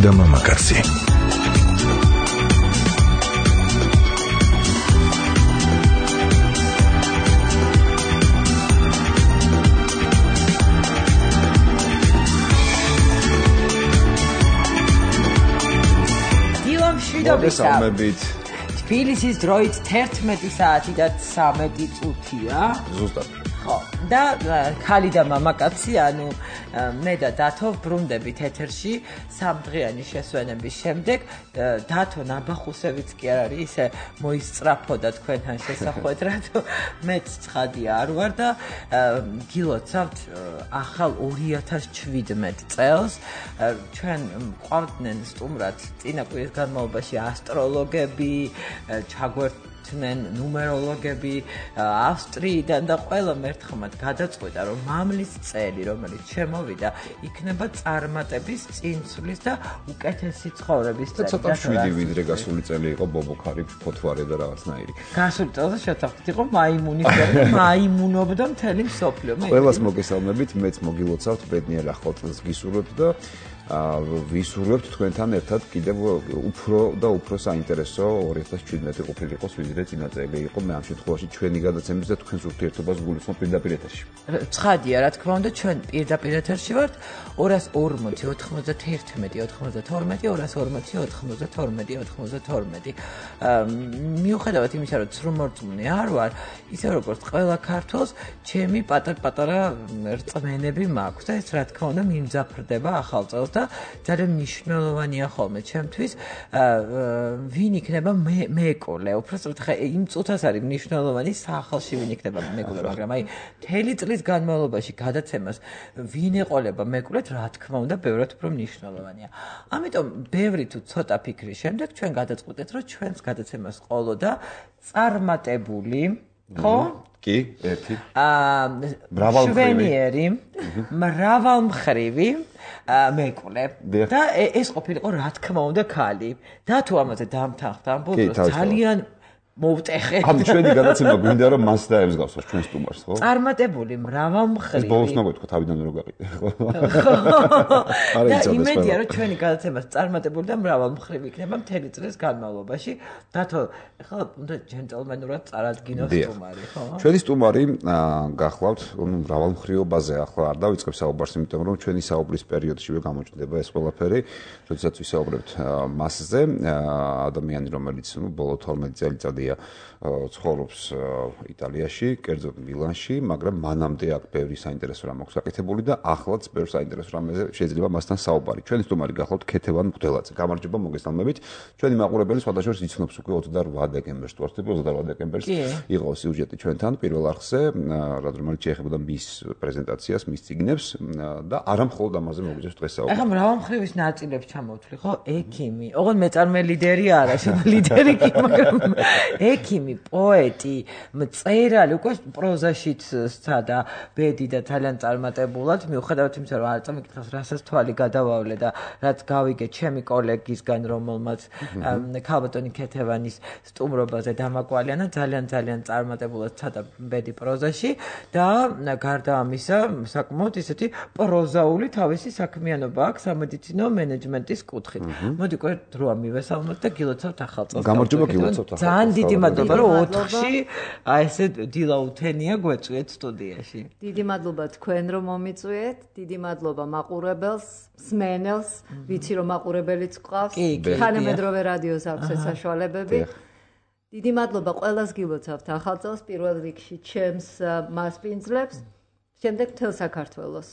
და მამაკაცი. თბილისის დროით 11 საათი და 13 წუთია. ზუსტად. ხო, და ქალი და მამაკაცი, ანუ მე და დათო ბრუნდებით ეთერში სამდღიანი შესვენების შემდეგ. დათო ნაბახუსევიც კი არ არის, ისე მოისწრაფოდა თქვენთან შესახვედრად. მეც ცხადია არ ვარ და გილოცავთ ახალ 2017 წელს. ჩვენ ყავდნენ სტუმრად წინა კვირის განმავლობაში ასტროლოგები, ჩაგვერთვნენ ნუმეროლოგები ავსტრიიდან და ყველა მერთხმად გადაწყვეტა, რომ მამლის წელი, რომელიც შემოვიდა, იქნება წარმატების, წინსვლის და უკეთესი ცხოვრების წელი. ცოტა შვიდი ვიდრე გასული წელი იყო ბობოქარი, ფოთვარე და რაღაცნაირი. გასული წელს შეთანხმდით იყო მაიმუნის წელი, მაიმუნობდა მთელი მსოფლიო. ყველას მოგესალმებით, მეც მოგილოცავთ, ბედნიერ ახალ წელს გისურვებთ და ვისურვებთ თქვენთან ერთად კიდევ უფრო და უფრო საინტერესო 2017 ყოფილიყოს ვიდრე წინა წელი იყო. მე ამ შემთხვევაში ჩვენი გადაცემის და თქვენს ურთიერთობას გულისხმობ პირდაპირ ეთერში. ცხადია, რა თქმა უნდა, ჩვენ პირდაპირ ეთერში ვართ 240 91 92 240 240 მიუხედავად იმისა, რომ ცრუმორწმუნე არ ვარ, ისე როგორც ყველა ქართველს, ჩემი პატარ-პატარა რწმენები მაქვს და ეს რა თქმა უნდა მიმძაფრდება ახალ წელს და ძალიან მნიშვნელოვანია ხოლმე ჩემთვის ვინ იქნება მეკოლე. უბრალოდ ხა იმ წუთას არის მნიშვნელოვანი სახალში ვინ იქნება მეკოლე, მაგრამ აი მთელი წლის განმავლობაში გადაცემას ვინ ეყოლება მეკოლეთ, რა თქმა უნდა, ბევრად უფრო მნიშვნელოვანია. ამიტომ ბევრი თუ ცოტა ფიქრის შემდეგ ჩვენ გადაწყვეტეთ, რომ ჩვენს გადაცემას ყოლოდა წარმატებული, ხო? კი, ერთი. მრავალმხრივი, მრავალმხრივი მეკვლე და ეს ყოფილიყო რა თქმა უნდა ქალი. და თუ ამაზე დამთანხმდა ამ ბოლოს ძალიან მოვტეხე. ამ ჩვენი გადაცემა გვინდა რომ მას დაემსგავსოს ჩვენ სტუმარს, ხო? წარმატებული მრავალმხრივი. ეს ბოლოს მოგეთქვა თავიდან რო გაყიდე, ხო? და იმედია რომ ჩვენი გადაცემა წარმატებული და მრავალმხრივი იქნება მთელი წლის განმავლობაში. დათო, ახლა უნდა ჯენტლმენურად წარადგინოს სტუმარი, ხო? ჩვენი სტუმარი გახლავთ მრავალმხრივობაზე ახლა არ დავიწყებ საუბარს, იმიტომ რომ ჩვენი საუბრის პერიოდშივე გამოჩნდება ეს ყველაფერი, როდესაც ვისაუბრებთ მასზე, ადამიანი რომელიც ბოლო 12 წელიწადი ცხოვრობს იტალიაში, კერძოდ მილანში, მაგრამ მანამდე აქ ბევრი საინტერესო რამ აქვს გაკეთებული და ახლაც ბევრ საინტერესო რამზე შეიძლება მასთან საუბარი. ჩვენი სტუმარი გახლავთ ქეთევან მღვდელაძე. გამარჯობა, მოგესალმებით. ჩვენი მაყურებელი სხვადასხვა იცნობს უკვე 28 დეკემბერს, 28 დეკემბერს იყო სიუჟეტი ჩვენთან პირველ არხზე, რომელიც შეეხებოდა მის პრეზენტაციას, მის წიგნებს და არა მხოლოდ ამაზე მოგვიძებს დღეს საუბარი. ახლა მრავალმხრივის ნაწილებს ჩამოვთვლი, ხო? ექიმი, ოღონდ მეწარმე ლიდერი არა, ლიდერი კი, მაგრამ ექიმი, პოეტი, მწერალი, უკვე პროზაშიც სცადა ბედი და ძალიან წარმატებულად, მიუხედავად იმისა, რომ არ წამიკითხავს, რასაც თვალი გადავავლე და რაც გავიგე ჩემი კოლეგისგან, რომელმაც ქალბატონი ქეთევანის სტუმრობაზე დამაკვალიანა, ძალიან წარმატებულად სცადა ბედი პროზაში და გარდა ამისა, საკმაოდ ისეთი პროზაული თავისი საქმიანობა აქვს სამედიცინო მენეჯმენტის კუთხით. მოდი უკვე დროა მივესალმოთ და გილოცავთ ახალ წელს. გამარჯობა, გილოცავთ ახალ წელს. ძალიან დიდი მადლობა, რომ 4-ში ესე დილაუთენია გვეწვიეთ სტუდიაში. დიდი მადლობა თქვენ რომ მომიწვიეთ, დიდი მადლობა მაყურებელს, მსმენელს, ვიცი რომ მაყურებელიც გყავს, თანამედროვე რადიოს აქვს ეს საშუალებები. დიდი მადლობა ყველას გილოცავთ ახალ წელს, პირველ რიგში ჩემს მასპინძლებს, შემდეგ მთელ საქართველოს.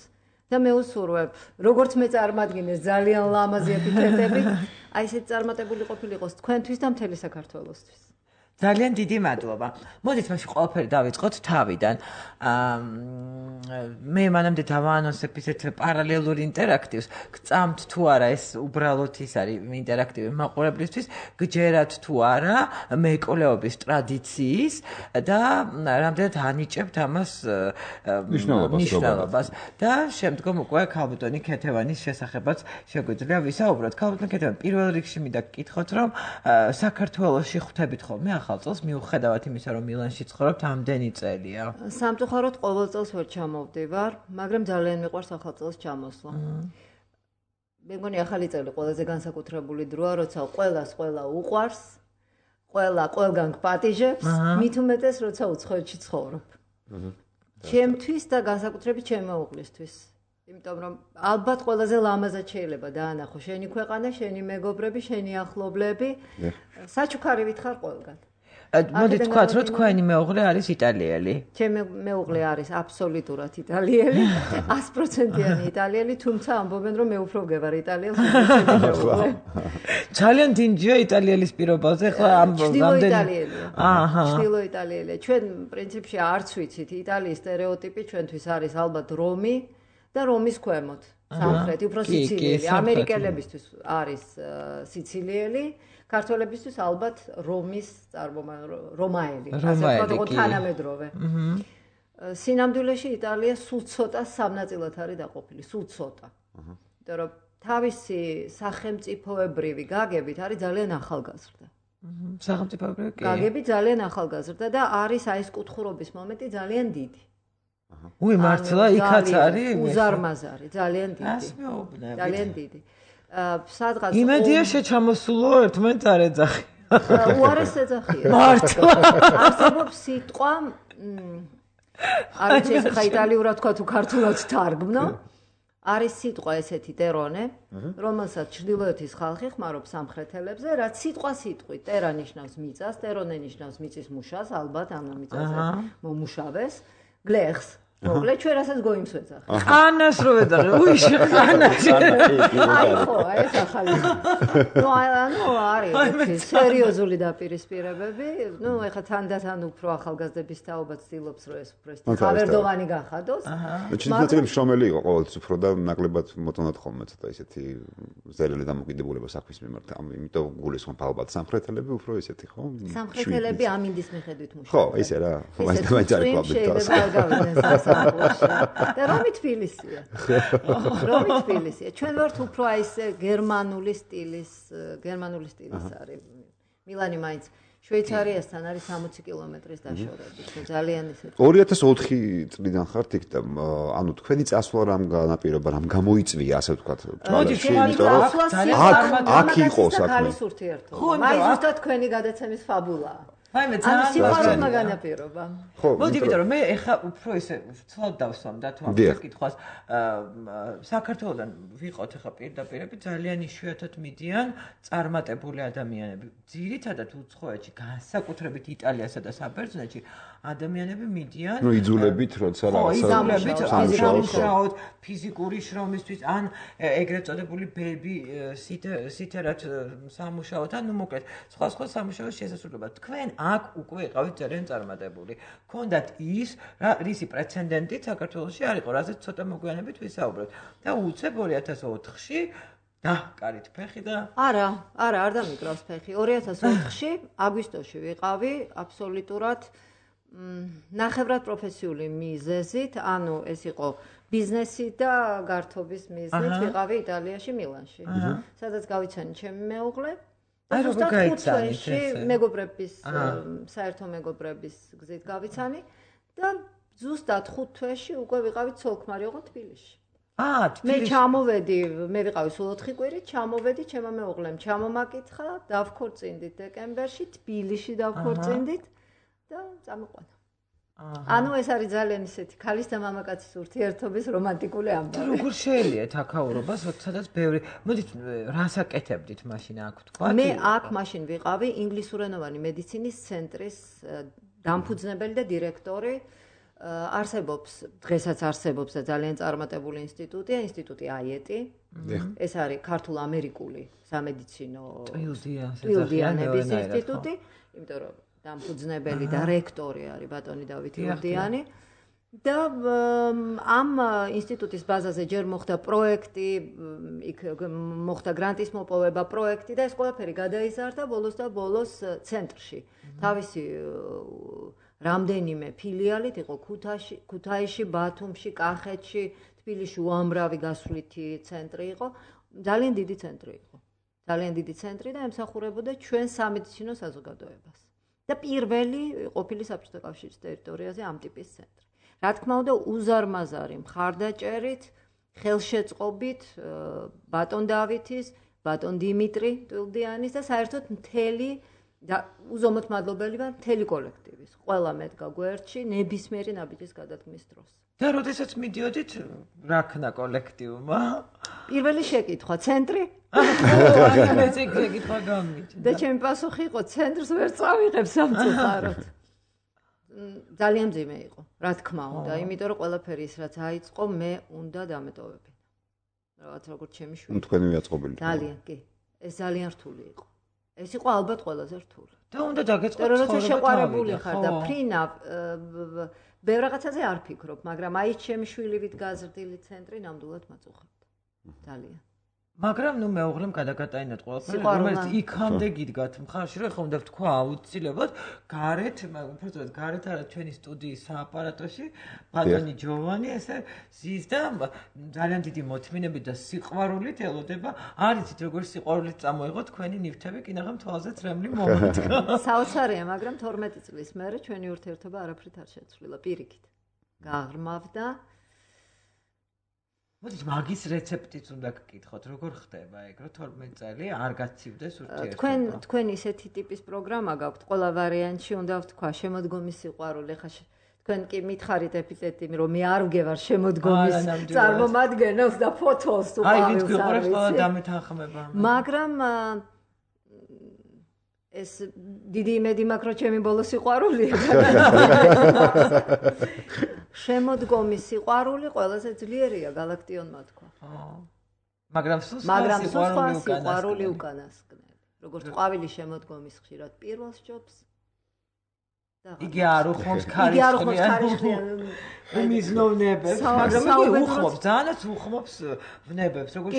და მე უსურვებ, როგორც მე წარმადგინეს ძალიან ლამაზი ეპითეტები, აი ესეთ წარმატებული ყოფილიყოს თქვენთვის და მთელი საქართველოსთვის. ძალიან დიდი მადლობა. მოდით მაშინ ყველაფერი დავიწყოთ თავიდან. მე მანამდე დავაანონსებ ისეთ პარალელურ ინტერაქტივს. გწამთ თუ არა ეს უბრალოდ ის არის ინტერაქტივი მაყურებლისთვის, გჯერათ თუ არა მეკოლეობის ტრადიციის და რამდენად ანიჭებთ ამას მნიშვნელობას. და შემდგომ უკვე ქალბატონი ქეთევანის შესახებაც შეგვიძლია ვისაუბროთ. ქალბატონი ქეთევანი პირველ რიგში მინდა გკითხოთ, რომ საქართველოში ხვდებით ხოლმე ახალ წელს, მიუხედავად იმისა, რომ მილანში ცხოვრობთ ამდენი წელია. სამწუხაროდ ყოველ წელს ვერ ჩამოვდივარ, მაგრამ ძალიან მიყვარს ახალ წელს ჩამოსვლა. მე მგონი ახალი წელი ყველაზე განსაკუთრებული დროა, როცა ყველას ყველა უყვარს, ყველგან გპატიჟებს, მით უმეტეს როცა უცხოეთში ცხოვრობ. ჩემთვის და განსაკუთრებით ჩემი მეუღლისთვის. იმიტომ რომ ალბათ ყველაზე ლამაზად შეიძლება დაანახო შენი ქვეყანა, შენი მეგობრები, შენი ახლობლები. საჩუქარი ვითხარ ყველგან. მოდი თქვათ, რომ თქვენი მეუღლე არის იტალიელი. ჩემი მეუღლე არის აბსოლუტურად იტალიელი, 100%-იანი იტალიელი, თუმცა ამბობენ, რომ მე უფრო ვგევარ იტალიელს, ვიდრე ძალიან დინჯია იტალიელის პირობაზე, ხო ამ იტალიელია. ჩtildeო იტალიელია. ჩვენ პრინციპში არც ვიცით იტალიის სტერეოტიპი ჩვენთვის არის ალბათ რომი და რომის ქვემოთ. სამხრეთი, უფრო სიცილიელი. ამერიკელებისთვის არის სიცილიელი. ქართველებისთვის ალბათ რომის რომაელი, ასე ვთქვათ, თანამედროვე. სინამდვილეში იტალია სულ ცოტა სამნაწილად არის დაყოფილი, სულ ცოტა. იმიტომ რომ თავისი სახელმწიფოებრივი გაგებით არის ძალიან ახალგაზრდა. სახელმწიფოებრივი გაგები ძალიან ახალგაზრდა და არის აი ეს კუთხურობის მომენტი ძალიან დიდი. მართლა იქაც არის უზარმაზარი, ძალიან დიდი. ძალიან დიდი. სადღაც იმედია შეჩამოსულო ერთმანეთს არ ეძახი. უარეს ეძახია. მართლა. არსებობს სიტყვა არ ვიცი ეს ხა იტალიურად თქვა თუ ქართულად თარგმნო. არის სიტყვა ესეთი ტერონე, რომელსაც ჩრდილოეთის ხალხი ხმარობს სამხრეთელებზე, რაც სიტყვით ტერა ნიშნავს მიწას, ტერონე ნიშნავს მიწის მუშას, ალბათ ამ მიწაზე მომუშავეს, გლეხს. მოკლედ ჩვენ რასაც გოიმსვეძახ. ყანას რო ეძახე, უიში ყანას. აი ხო, ეს ახალი. ნუ არის სერიოზული დაპირისპირებები. ნუ ეხლა თანდათან უფრო ახალგაზრდების თაობა ცდილობს რომ ეს უფრო ხავერდოვანი გახადოს. ჩინეთელი შრომელი იყო ყოველთვის უფრო და ნაკლებად მოწონათ ხოლმე ცოტა ისეთი ზერელი დამოკიდებულება საქმის მიმართ. ამიტომ გულისხმობ ალბათ სამხრეთელები უფრო ისეთი ხო? სამხრეთელები ამინდის მიხედვით მუშაობენ. ხო, ისე რა. მაინც არის კლუბი. და რომი თბილისია. რომი თბილისია. ჩვენ ვართ უფრო აი ეს გერმანული სტილის არის. მილანი მაინც შვეიცარიასთან არის 60 კილომეტრის დაშორებით. ძალიან ისეთი. 2004 წლიდან ხართ იქ და ანუ თქვენი წასვლა რამ განაპირობა, რამ გამოიწვია, ასე ვთქვათ, ჭალაში, იმიტომ რომ აქ იყო საქმე. მაინც ზუსტად თქვენი გადაცემის ფაბულაა. ანუ სიყვარულმა განაპირობა. მოდი, იმიტომ რომ მე ეხა უფრო ისე ცლად დავსვამ და თუ ამ კითხვას საქართველოსთან ვიყოთ ეხა პირდაპირები ძალიან იშვიათად მიდიან წარმატებული ადამიანები. ძირითადად უცხოეთში, განსაკუთრებით იტალიასა და საბერძნეთში ადამიანები მიდიან. ნუ იძულებით, როცა რაღაცა ფიზიკური შრომისთვის ან ეგრეთ წოდებული ბეიბი სითერად სამუშაოთ, ან ნუ მოკლედ სხვა სამუშაოს შესაძლებლობა. თქვენ აქ უკვე იყავით ძალიან წარმატებული. ქონდათ ის, რისი პრეცედენტი საქართველოში არ იყო, რაზეც ცოტა მოგვიანებით ვისაუბრებთ. და უცებ 2004-ში დაჰკარით ფეხი და არ დამიკრავს ფეხი. 2004-ში აგვისტოში ვიყავი აბსოლუტურად ნახევრად პროფესიული მიზეზით, ანუ ეს იყო ბიზნესი და გართობის მიზნით ვიყავი იტალიაში მილანში. სადაც გავიცანი ჩემი მეუღლე. აი როგორ გაიცანით მეგობრების საერთო მეგობრების გზით გავიცანი და ზუსტად 5 თვეში უკვე ვიყავით ცოლ-ქმარი ოღონდ თბილისში. მე ჩამოვედი, მე ვიყავი სულ 4 კვირით, ჩამოვედი ჩემო მეუღლემ ჩამომაკითხა, დავქორწინდით დეკემბერში, თბილისში დავქორწინდით და წამოყვანა. ანუ ეს არის ძალიან ისეთი ქალის და მამაკაცის ურთიერთობის რომანტიკული ამბავი. როგორ შეელიათ აქაურობას, სადაც ბევრი. მოდით, რას აკეთებდით მაშინ აქ თქვა? მე აქ მაშინ ვიყავი ინგლისურენოვანი მედიცინის ცენტრის დამფუძნებელი და დირექტორი. არსებობს, დღესაც არსებობს და ძალიან წარმატებული ინსტიტუტია, ინსტიტუტი აიეტი. ეს არის ქართულ-ამერიკული სამედიცინო ტვილდიანების ინსტიტუტი, იმიტომ რომ დამფუძნებელი და რექტორი არის ბატონი დავით იურდიანი და ამ ინსტიტუტის ბაზაზე ჯერ მოხდა პროექტი, იქ მოხდა გრანტის მოპოვება პროექტი და ეს ყველაფერი გადაიზარდა ბოლოს ცენტრში. თავისი რამდენიმე ფილიალით იყო ქუთაისში, ბათუმში, კახეთში, თბილისში უამრავი გასვლითი ცენტრი იყო. ძალიან დიდი ცენტრი იყო. ძალიან დიდი ცენტრი და ემსახურებოდა ჩვენ სამედიცინო საზოგადოებას. და პირველი ყოფილი საბჭოთა კავშირის ტერიტორიაზე ამ ტიპის ცენტრი. რა თქმა უნდა, უზარმაზარი მხარდაჭერით, ხელშეწყობით ბატონ დავითის, ბატონ დიმიტრი ტვილდიანის და საერთოდ მთელი და უზომოდ მადლობელი ვარ მთელი კოლექტივის. ყველა მედგა გვერდში ნებისმიერი ნაბიჯის გადადგმის დროს. და როდესაც მიდიოდით რა ქნა კოლექტივმა? პირველი შეკითხვა, ცენტრი? აი, ეს შეკითხვა გამიჩნდა. და ჩემი პასუხი იყო, ცენტრს ვერ წავიღებ სამწუხაროდ. ძალიან მძიმე იყო, რა თქმა უნდა, იმიტომ რომ ყველაფერი ის რაც აიწყო, მე უნდა დამეტოვებინა. რაღაც როგორც ჩემი შვილი. თქვენი ვიაწყობილი. ძალიან, კი. ეს ძალიან რთული იყო. ეს იყო ალბათ ყველაზე რთული. და უნდა დაგეწყოთ ცხოვრება. როცა შეყვარებული ხარ და ფრინა ბევრ რაღაცაზე არ ფიქრობ, მაგრამ აი ჩემი შვილივით გაზრდილი ცენტრი ნამდვილად მაწუხებდა. ძალიან. მაგრამ ნუ მეუღლემ გადაგატანინოთ ყველაფერი, რომელიც იქამდე გიდგათ მხარში, რომ ხომ უნდა ვთქვა აუცილებლად გარეთ, უბრალოდ გარეთ არა ჩვენი სტუდიის სააპარატოში, ბატონი ჯოვანი ესე ზის და ძალიან დიდი მოთმინებით და სიყვარულით ელოდება. არიცით როგორ სიყვარულით წამოიღო თქვენი ნივთები, კინაღამ თვალზე წრემლი მომენტი. საოცარია, მაგრამ 12 წლის მერე ჩვენი ურთიერთობა არაფრით არ შეცვლილა, პირიქით. გაღრმავდა. მოდით მაგის რეცეპტიც უნდა გკითხოთ, როგორ ხდება ეგ, რომ 12 წელი არ გაცივდეს ურთიერთობა. თქვენ ისეთი ტიპის პროგრამა გაქვთ, ყველა ვარიანტში უნდა ვთქვა შემოდგომის სიყვარული, ხა თქვენ კი მითხარით ეპიზოდი, რომ მე არ ვგევარ შემოდგომის წარმომადგენელს და ფოტოს უყავს. აი, ვით გიყურებს ყველა დამეთანხმება. მაგრამ ეს დიდი იმედი მაქვს, რომ ჩემი ბოლო სიყვარულია. შემოდგომის სიყვარული ყველაზე ძლიერია galaktionმა თქვა. მაგრამ სიყვარული უკანასკნელი. როგორც ყვავილი შემოდგომის ხშირად პირველ სჯობს. იგი არ უხმობს ქარიშხლიან მიზნობნებებს, მაგრამ იგი უხმობს, ძალიანაც უხმობს ვნებებს, როგორც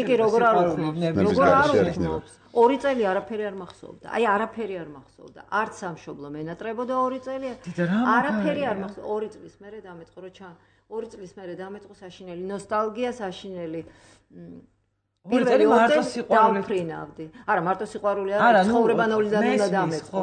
უხმობს. 2 წელი არაფერი არ მახსოვდა. აი არაფერი არ მახსოვდა. არც სამშობლო მენატრებოდა 2 წელი. არაფერი არ მახსოვდა. 2 წლის მერე დამეწყო, რომ 2 წლის მერე დამეწყო საშინელი ნოსტალგია, საშინელი პირველი მარტო სიყვარული დავფრინავდი. არა, მარტო სიყვარული არა, ცხოვრებანოლიდან უნდა დამეწყო.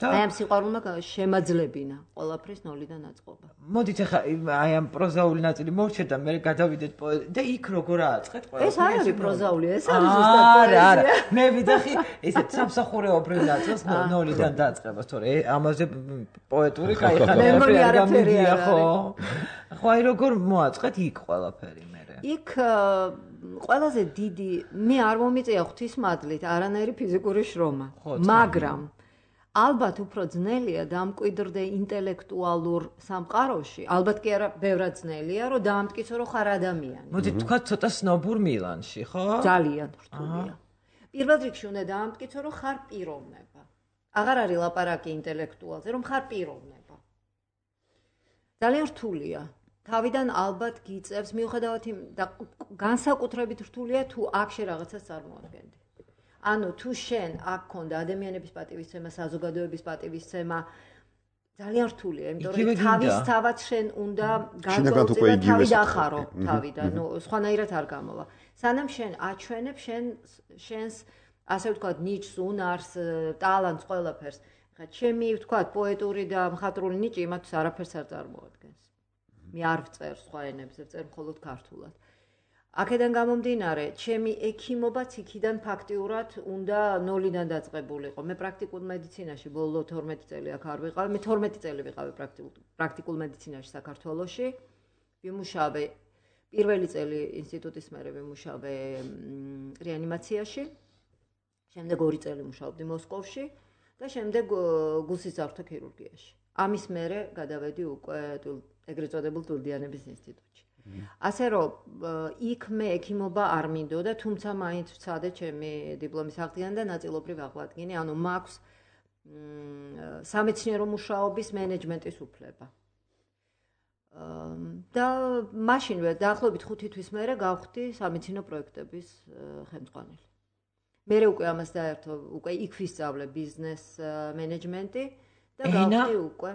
აი ამ სიყვარულმა შემაძლებინა ყველაფრის ნოლიდან აწყობა. მოდით ახლა აი ამ პროზაული ნაწილი მოვჩერდ და მე გადავიდეთ და იქ როგორ ააწყეთ ყველაფერი. ეს არ არის პროზაული, ეს არის ზუსტად პოეზია. არა, მე ვიდახი ესეთ სამსახურეობრივ ნაწილს ნოლიდან დაწყებას, თორე ამაზე პოეტური кайხანები არ გამიგია ხო? ხო აი როგორ მოაწყეთ იქ ყველაფერი მე. იქ ყველაზე დიდი მე არ მომიწია ღვთისმადლით არანაირი ფიზიკური შრომა, მაგრამ ალბათ უფრო ძნელია დამკვიდრდე ინტელექტუალურ სამყაროში, ალბათ კი არა, ბევრად ძნელია, რომ დაამტკიცო, რომ ხარ ადამიანი. მოდით თქვა ცოტა სნობურ მილანში, ხო? ძალიან რთულია. პირველ რიგში უნდა დაამტკიცო, რომ ხარ პიროვნება. აღარ არის ლაპარაკი ინტელექტუალზე, რომ ხარ პიროვნება. ძალიან რთულია. თავიდან ალბათ გიწევს, მიუხედავად იმ და განსაკუთრებით რთულია თუ აქ შე რაღაცას წარმოადგენდი. ანუ თუ შენ აქ ქონდა ადამიანების პატივისცემა, საზოგადოების პატივისცემა, ძალიან რთულია, იმიტომ რომ თავისთავად შენ უნდა განწოლწი და თავი დახარო თავიდან, ნუ სხვანაირად არ გამოვა. სანამ შენ აჩვენებ შენს ასე ვთქვათ ნიჭს, უნარს, ტალანტს, ყველაფერს. ხა ჩემი ვთქვათ პოეტური და მხატვრული ნიჭი იმათთვის არაფერს არ წარმოადგენს. მე არ ვწერ სხვა ენებზე, ვწერ მხოლოდ ქართულად. აქედან გამომდინარე, ჩემი ექიმობაც იქიდან ფაქტიურად უნდა ნოლიდან დაწყებულიყო. მე პრაქტიკულ მედიცინაში ბოლო 12 წელი აქ არ ვიყავ, მე 12 წელი ვიყავი პრაქტიკულ მედიცინაში საქართველოში. ვიმუშავე პირველი წელი ინსტიტუტის მერე ვიმუშავე რეანიმაციაში. შემდეგ 2 წელი მუშაობდი მოსკოვში და შემდეგ გულსისძარღვთა ქირურგიაში. ამის მერე გადავედი უკვე ეგრეთ წოდებულ ტვილდიანების ინსტიტუტში. ასე რომ იქ მე ექიმობა არ მინდოდა, თუმცა მაინც ვცადე ჩემი დიპლომის აღდგენა და ნაწილობრივ აღვადგინე, ანუ მაქვს სამეცნიერო მუშაობის მენეჯმენტის უფლება. და მაშინვე დაახლოებით 5 თვის მერე გავხდი სამეცნიერო პროექტების ხელმძღვანელი. მერე უკვე ამას დაერთო, უკვე იქ ვისწავლე ბიზნეს მენეჯმენტი და გავხდი უკვე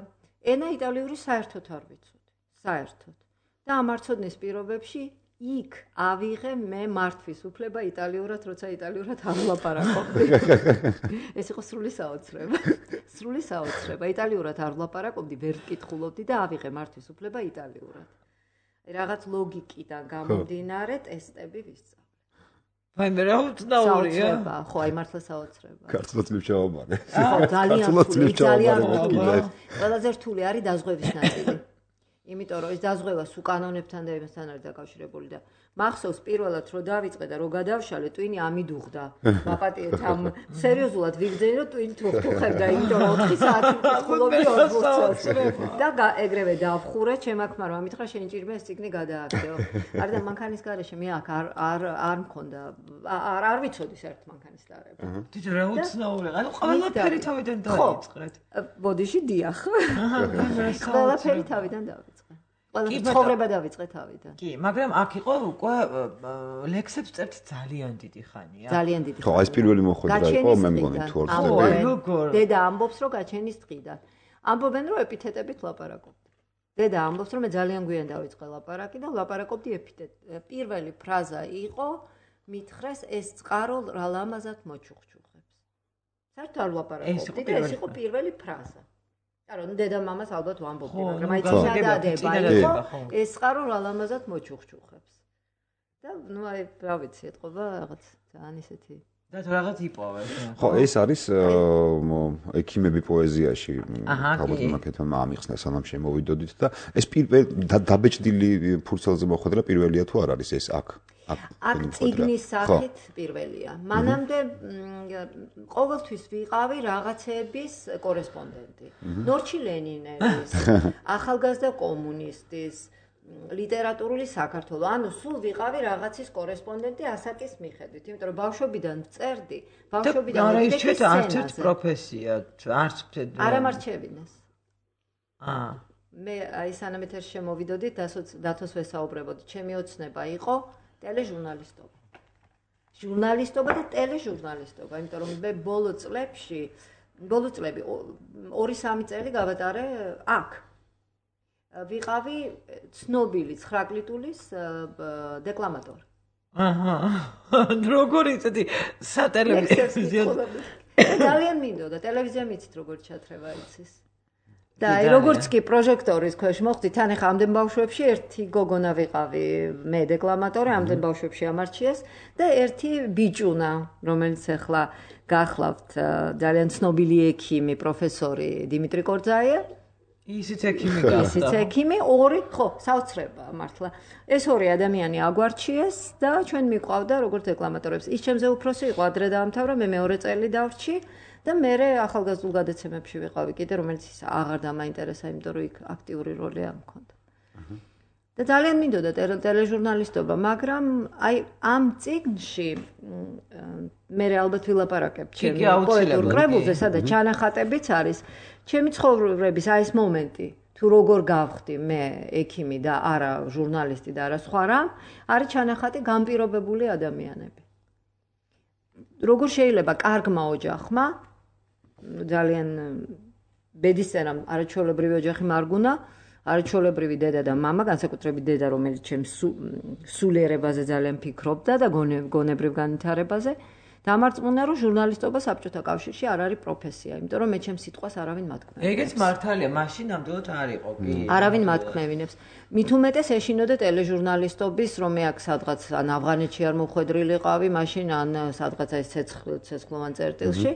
ენა იტალიური საერთოდ არ ვიცოდი. საერთოდ. და ამ არცოდნის პირობებში იქ ავიღე მე მართვის უფლება იტალიურად, როცა იტალიურად არ ვლაპარაკობდი. ეს იყო სრული საოცრება. სრული საოცრება. იტალიურად არ ვლაპარაკობდი, ვერ ვკითხულობდი და ავიღე მართვის უფლება იტალიურად. რაღაც ლოგიკიდან გამომდინარე ტესტები ვისწავლე. აი მე რა უცნაურია. ხო, აი მართლა საოცრება. ქართლოცლივ ჩავაბარე. ხო, ძალიან რთული. ყველაზე რთული არის დაზღვევის ნაწილი. იმიტომ რომ ეს დაზღვევა სულ კანონებთან და იმასთან არის დაკავშირებული და მახსოვს პირველად რომ დავიწყე და რომ გადავშალე ტვინი ამიდუღდა. მაპატიეთ ამ სერიოზულად ვიგრძენი რომ ტვინით ვხუხებდა, იმიტომ რომ 4 საათი ვხულობდი 40 წელს. და ეგრევე დავხურე, ჩემ აქ მაგრამ ამითხრა შენ ჭირმა ეს ციგნი გადააგდეო. არა და მანქანის garaშე მე აქ არ მქონდა. არ ვიცოდი საერთოდ მანქანის დარება. თვითონ რა უცნაურია. ანუ ყველაფერი თავიდან დაიწყეთ. ბოდიში დიახ. ყველაფერი თავიდან დავიწყე. ყველა ცხოვრება დავიწყე თავიდან. კი, მაგრამ აქ იყო უკვე ლექსებს წერთ ძალიან დიდი ხანია. ძალიან დიდი. ხო, ეს პირველი მოხვედრა იყო, მე მგონი თუ არ ვცდები. დედა ამბობს, რომ გაჩენის დღიდან. ამბობენ, რომ ეპითეტებით ლაპარაკობდი. დედა ამბობს, რომ მე ძალიან გვიან დავიწყე ლაპარაკი და ლაპარაკობდი ეპითეტ. პირველი ფრაზა იყო, მითხრეს ეს წყარო რა ლამაზად მოჩუქჩუხებს. საერთოდ არ ლაპარაკობდი და ეს იყო პირველი ფრაზა. არა, დედა მამას ალბათ ვამბობდი, მაგრამ აი წინადადება იყო, ეს წყარო რა ლამაზად მოჩუქჩუხებს. და ნუ აი რა ვიცი, ეთყობა რაღაც ძალიან ისეთი. და თუ რაღაც იპოვე. ხო, ეს არის ექიმები პოეზიაში, ალბათ მაკეთმა ამიხსნა სანამ შემოვიდოდით და ეს პირველი დაბეჭდილი ფურცელზე მოხვედრა პირველია თუ არ არის ეს აქ? აქ წიგნის სახით პირველია. მანამდე ყოველთვის ვიყავი რაღაცების კორესპონდენტი. ნორჩი ლენინელის, ახალგაზრდა კომუნისტის, ლიტერატურული საქართველო. ანუ სულ ვიყავი რაღაცის კორესპონდენტი ასაკის მიხედვით, იმიტომ რომ ბავშვობიდან წერდი, ბავშვობიდან ვიწყე არც ერთ პროფესია, არც არ ამარჩევინეს. მე აი სანამ ეთერში შემოვიდოდი, დათოს ვესაუბრებოდი, ჩემი ოცნება იყო ტელეჟურნალისტობა. ჟურნალისტობა და ტელეჟურნალისტობა, იმიტომ რომ მე ბოლო წლები 2-3 წელი გავატარე აქ. ვიყავი ცნობილი 9 კლიტულის დეკლამატორი. როგორი წეთი სატელევიზიო. ძალიან მინდოდა ტელევიზია მიცით როგორ ჩათრევა იცის. და აი როგორც კი პროჟექტორის ქვეშ მოხდი, თან ახლა ამდენ ბავშვებში ერთი გოგონა ვიყავი, მე დეკლამატორი, ამდენ ბავშვებში ამარჩიეს და ერთი ბიჭუნა, რომელიც ახლა გახლავთ ძალიან ცნობილი ექიმი, პროფესორი დიმიტრი კორძაია. ისიც ექიმი გახდა. ისიც ექიმი, ორი, ხო, საოცრება მართლა. ეს ორი ადამიანი აგვარჩიეს და ჩვენ მიყვავდა როგორც დეკლამატორებს. ის ჩემზე უფროსი იყო, ადრე დაამთავრა, მე მეორე წელი დავრჩი. და მე ახალგაზრდულ გადაცემებში ვიყავი კიდე, რომელიც აღარ დამაინტერესა, იმიტომ რომ იქ აქტიური როლი არ მქონდა. და ძალიან მინდოდა ტელეჟურნალისტობა, მაგრამ აი ამ წიგნში მე ალბათ ვილაპარაკებ ჩემი პოეტურ კრებულზე, სადაც ჩანახატებიც არის, ჩემი ცხოვრების აი ეს მომენტი, თუ როგორ გავხდი მე ექიმი და არა ჟურნალისტი და არა სხვა რამ, არის ჩანახატი განპირობებული ადამიანები. როგორ შეიძლება კარგმა ოჯახმა ძალიან ბედისწერა არაჩვეულებრივი ოჯახი მარგუნა, არაჩვეულებრივი დედა და მამა, განსაკუთრებით დედა, რომელიც ჩემს სულიერებაზე ძალიან ფიქრობდა და გონებრივ განვითარებაზე, დამარწმუნა, რომ ჟურნალისტობა საბჭოთა კავშირში არ არის პროფესია, იმიტომ რომ მე ჩემს სიტყვას არავინ მათქმევინებს. ეგეც მართალია, მაშინ ნამდვილად არ იყო კი. არავინ მათქმევინებს. მით უმეტეს ეშინოდა ტელეჟურნალისტობის, რომ მე აქ სადღაც ან ავღანეთში არ მოხვედრილიყავი, მაშინ ან სადღაც ეს ცეცხლოვან წერტილში.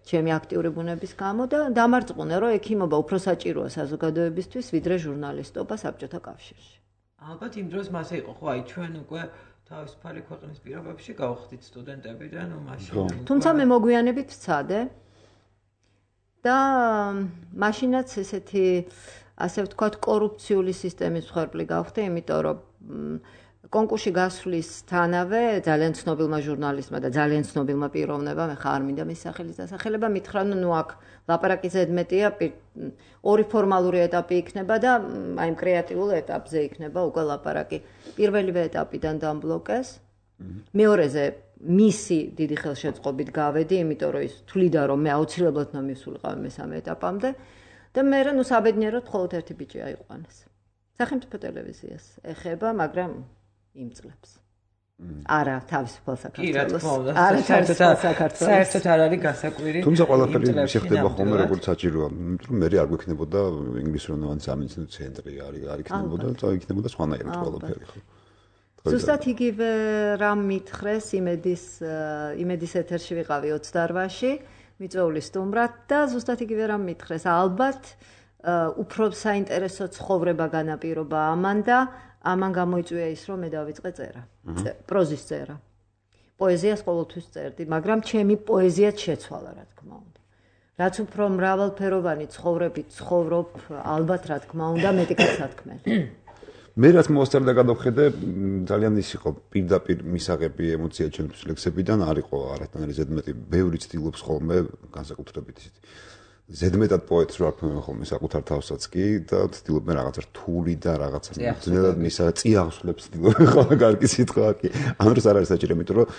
ჩემი აქტიური ბუნების გამო და დამარწმუნე, რომ ექიმობა უფრო საჭიროა საზოგადოებისთვის, ვიდრე ჟურნალისტობა საბჭოთა კავშირში. ალბათ იმ დროს მასე იყო, ხო, აი ჩვენ უკვე თავისუფალი ქვეყნის პირობებში გავხდით სტუდენტები და ნუ მაშინ. თუმცა მე მოგვიანებით ვცადე და მაშინაც ესეთი ასე ვთქვათ კორუფციული სისტემის მსხვერპლი გავხდი, იმიტომ რომ კონკურსში გასვლისთანავე ძალიან ცნობილმა ჟურნალისტმა და ძალიან ცნობილმა პიროვნებამ, ეხა არ მინდა მის სახელის დასახელება, მითხრა, ნუ აქ ლაპარაკი ზედმეტია, ორი ფორმალური ეტაპი იქნება და აი იმ კრეატიულ ეტაპზე იქნება უკვე ლაპარაკი. პირველივე ეტაპიდან დამბლოკეს. მეორეზე მისი დიდი ხელშეწყობით გავედი, იმიტომ რომ ის თვლიდა, რომ მე აუცილებლად უნდა მივსულიყავი მესამე ეტაპამდე და მე ნუ საბედნიეროდ მხოლოდ ერთი ბიჭი აიყვანეს. სახელმწიფო ტელევიზიას ეხება, მაგრამ იმ წლებს. არა, თავისუფალ საქართველოს. კი, რა თქმა უნდა. არა, თავისუფალ საქართველოს. საერთოდ არ არის გასაკვირი. თუმცა ყველაფერი ისე ხდება ხოლმე როგორც საჭიროა, იმიტომ რომ მე არ გვექნებოდა ინგლისურენოვანი სამეცნიერო ცენტრი, არ იქნებოდა, იქნებოდა სხვანაირად ყველაფერი, ხო? ზუსტად იგივე რამ მითხრეს იმედის ეთერში ვიყავი 28-ში, მიწვეული სტუმრად და ზუსტად იგივე რამ მითხრეს. ალბათ უფრო საინტერესო ცხოვრება განაპირობა ამან და ამან გამოიწვია ის, რომ მე დავიწყე წერა. პროზის წერა. პოეზიას ყოველთვის წერდი, მაგრამ ჩემი პოეზიაც შეცვალა, რა თქმა უნდა. რაც უფრო მრავალფეროვანი ცხოვრებით ცხოვრობ, ალბათ რა თქმა უნდა, მეტი გასათქმელი. მე რაც მოსწრდა გადავხედე, ძალიან ის იყო პირდაპირ მისაღები ემოცია ჩემთვის ლექსებიდან არ იყო არათანარი ზედმეტი, ბევრი ცდილობს ხოლმე განსაკუთრებით ისეთი ზედმეტად პოეტს რო არქმევენ ხოლმე საკუთარ თავსაც კი და ცდილობენ რაღაცა რთული და რაღაცა ძნელად მისა წიაღსვლებს ცდილობენ ხოლმე კარგი სიტყვა კი ამ დროს არ არის საჭირო იმიტომ რომ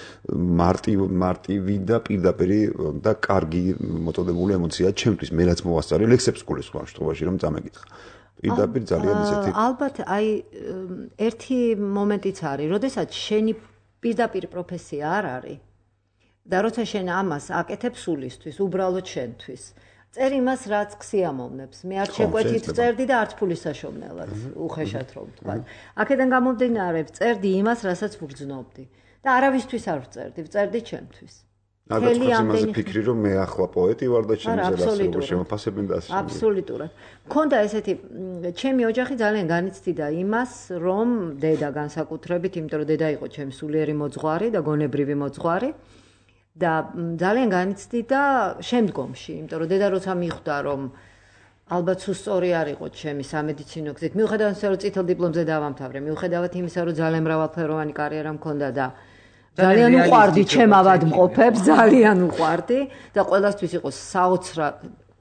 მარტივი და პირდაპირი და კარგი მოწოდებული ემოცია ჩემთვის მე რაც მოვასწარე ლექსებს გულისხმობ შემთხვევაში რომ წამეკითხა პირდაპირ ძალიან ისეთი ალბათ აი ერთი მომენტიც არის როდესაც შენი პირდაპირ პროფესია არ არის და როცა შენ ამას აკეთებ სულისთვის უბრალოდ შენთვის წერ იმას რაც ქსიამოვნებს. მე არ შეკვეთით წერდი და არც ფულისაშოვნელად უხეშად რომ ვთქვა. აქედან გამომდინარე წერდი იმას, რასაც ვგრძნობდი და არავისთვის არ ვწერდი, ვწერდი ჩემთვის. თელი ამაზე ფიქრი რომ მე ახლა პოეტი ვარ და ჩემზე რასაუბრ შემოფასებენ და ასე. აბსოლუტურად. მქონდა ესეთი ჩემი ოჯახი ძალიან განიცდიდა იმას, რომ დედა განსაკუთრებით, იმიტომ რომ დედა იყო ჩემი სულიერი მოძღვარი და გონებრივი მოძღვარი. და ძალიან განიცდიდა შემდგომში, იმიტომ რომ დედა როცა მიხვდა რომ ალბათ სულ სწორი არ იყო ჩემი სამედიცინო გზით. მიუხედავად იმისა, რომ წითელ დიპლომზე დავამთავრე, მიუხედავად იმისა, რომ ძალიან მრავალფეროვანი კარიერა მქონდა და ძალიან უყვარდი ჩემ ავადმყოფებს, ძალიან უყვარდი და ყველასთვის იყო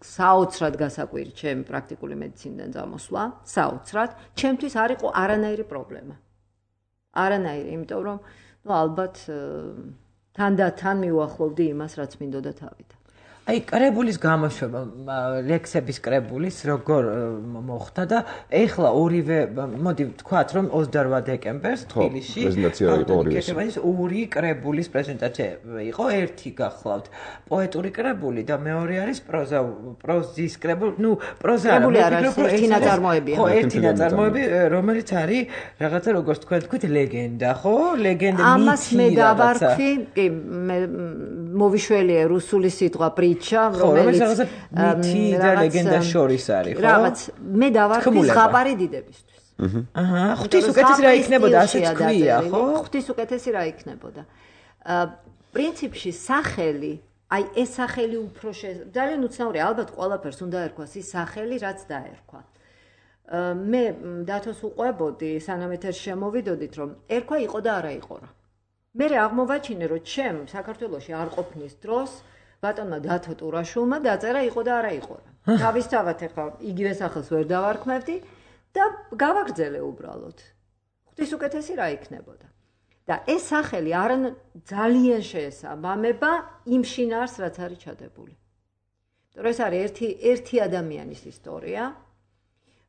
საოცრად გასაკვირი ჩემი პრაქტიკული მედიცინიდან წამოსვლა, საოცრად. ჩემთვის არ იყო არანაირი პრობლემა. არანაირი, იმიტომ რომ ალბათ თან და თან მიუახლოვდი იმას, რაც მინდოდა თავიდან. აი, კრებულის გამოშვება, ლექსების კრებულის როგორ მოხდა და ეხლა ორივე, მოდი ვთქვათ, რომ 28 დეკემბერს თბილისში პრეზენტაცია იყო ორივე. ორი კრებულის პრეზენტაცია იყო, ერთი გახლავთ პოეტური კრებული და მეორე არის პროზის კრებული, პროზა ერთი ნაწარმოებია. ხო, ერთი ნაწარმოები, რომელიც არის რაღაცა როგორც თქვენ თქვით, ლეგენდა, ხო? ლეგენდა მითი. ამას მე დავარქვი, კი, მე მოვიშველია რუსული სიტყვა რომელიც მითი და ლეგენდა შორის არის, ხო? რაღაც მე დავარქვი ზღაპარი დიდებისთვის. ღვთის უკეთესი რა იქნებოდა, ასეც ქვია, ხო? ღვთის უკეთესი რა იქნებოდა. პრინციპში სახელი, აი ეს სახელი უფრო ძალიან უცნაური, ალბათ ყველაფერს უნდა ერქვას ის სახელი, რაც დაერქვა. მე დათოს უყვებოდი, სანამ ეთერში შემოვიდოდით, რომ ერქვა იყო და არა იყო რა. მე აღმოვაჩინე, რომ ჩემ საქართველოში არ ყოფნის დროს ბატონმა დათო ტურაშულმა დაწერა იყო და არა იყო რა. თავისთავად ახლა იგივე სახელს ვერ დავარქმევდი და გავაგრძელე უბრალოდ. ღვთის უკეთესი რა იქნებოდა. და ეს სახელი ძალიან შეესაბამება იმ შინაარსს, რაც არის ჩადებული. იმიტომ რომ ეს არის ერთი ადამიანის ისტორია,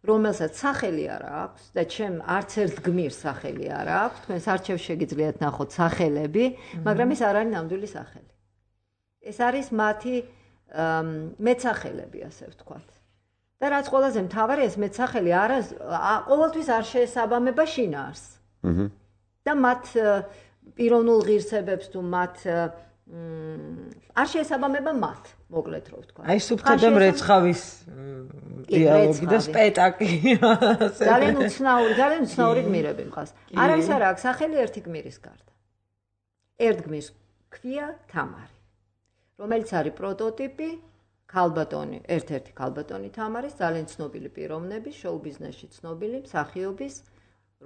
რომელსაც სახელი არ აქვს და ჩემ არც ერთ გმირს სახელი არ აქვს. თქვენს არჩევ შეგიძლიათ ნახოთ სახელები, მაგრამ ეს არ არის ნამდვილი სახელი. ეს არის მათი მეცახელები, ასე ვთქვათ. და რაც ყველაზე მთავარია, ეს მეცახელი ყოველთვის არ შეესაბამება შინაარსს. და მათ პიროვნულ ღირსებებს თუ მათ არ შეესაბამება მათ, მოკლედ რო ვთქვა. აი სუფთა და მრეცხავის დიალოგი და სპეტაკლი. ძალიან უცნაური გმირები მყავს. არავის არ აქვს სახელი ერთი გმირის გარდა. ერთ გმირს ქვია თამარი. რომელიც არის პროტოტიპი ქალბატონი, ერთ-ერთი ქალბატონი თამარის, ძალიან ცნობილი პიროვნების, შოუ ბიზნესში ცნობილი, მსახიობის,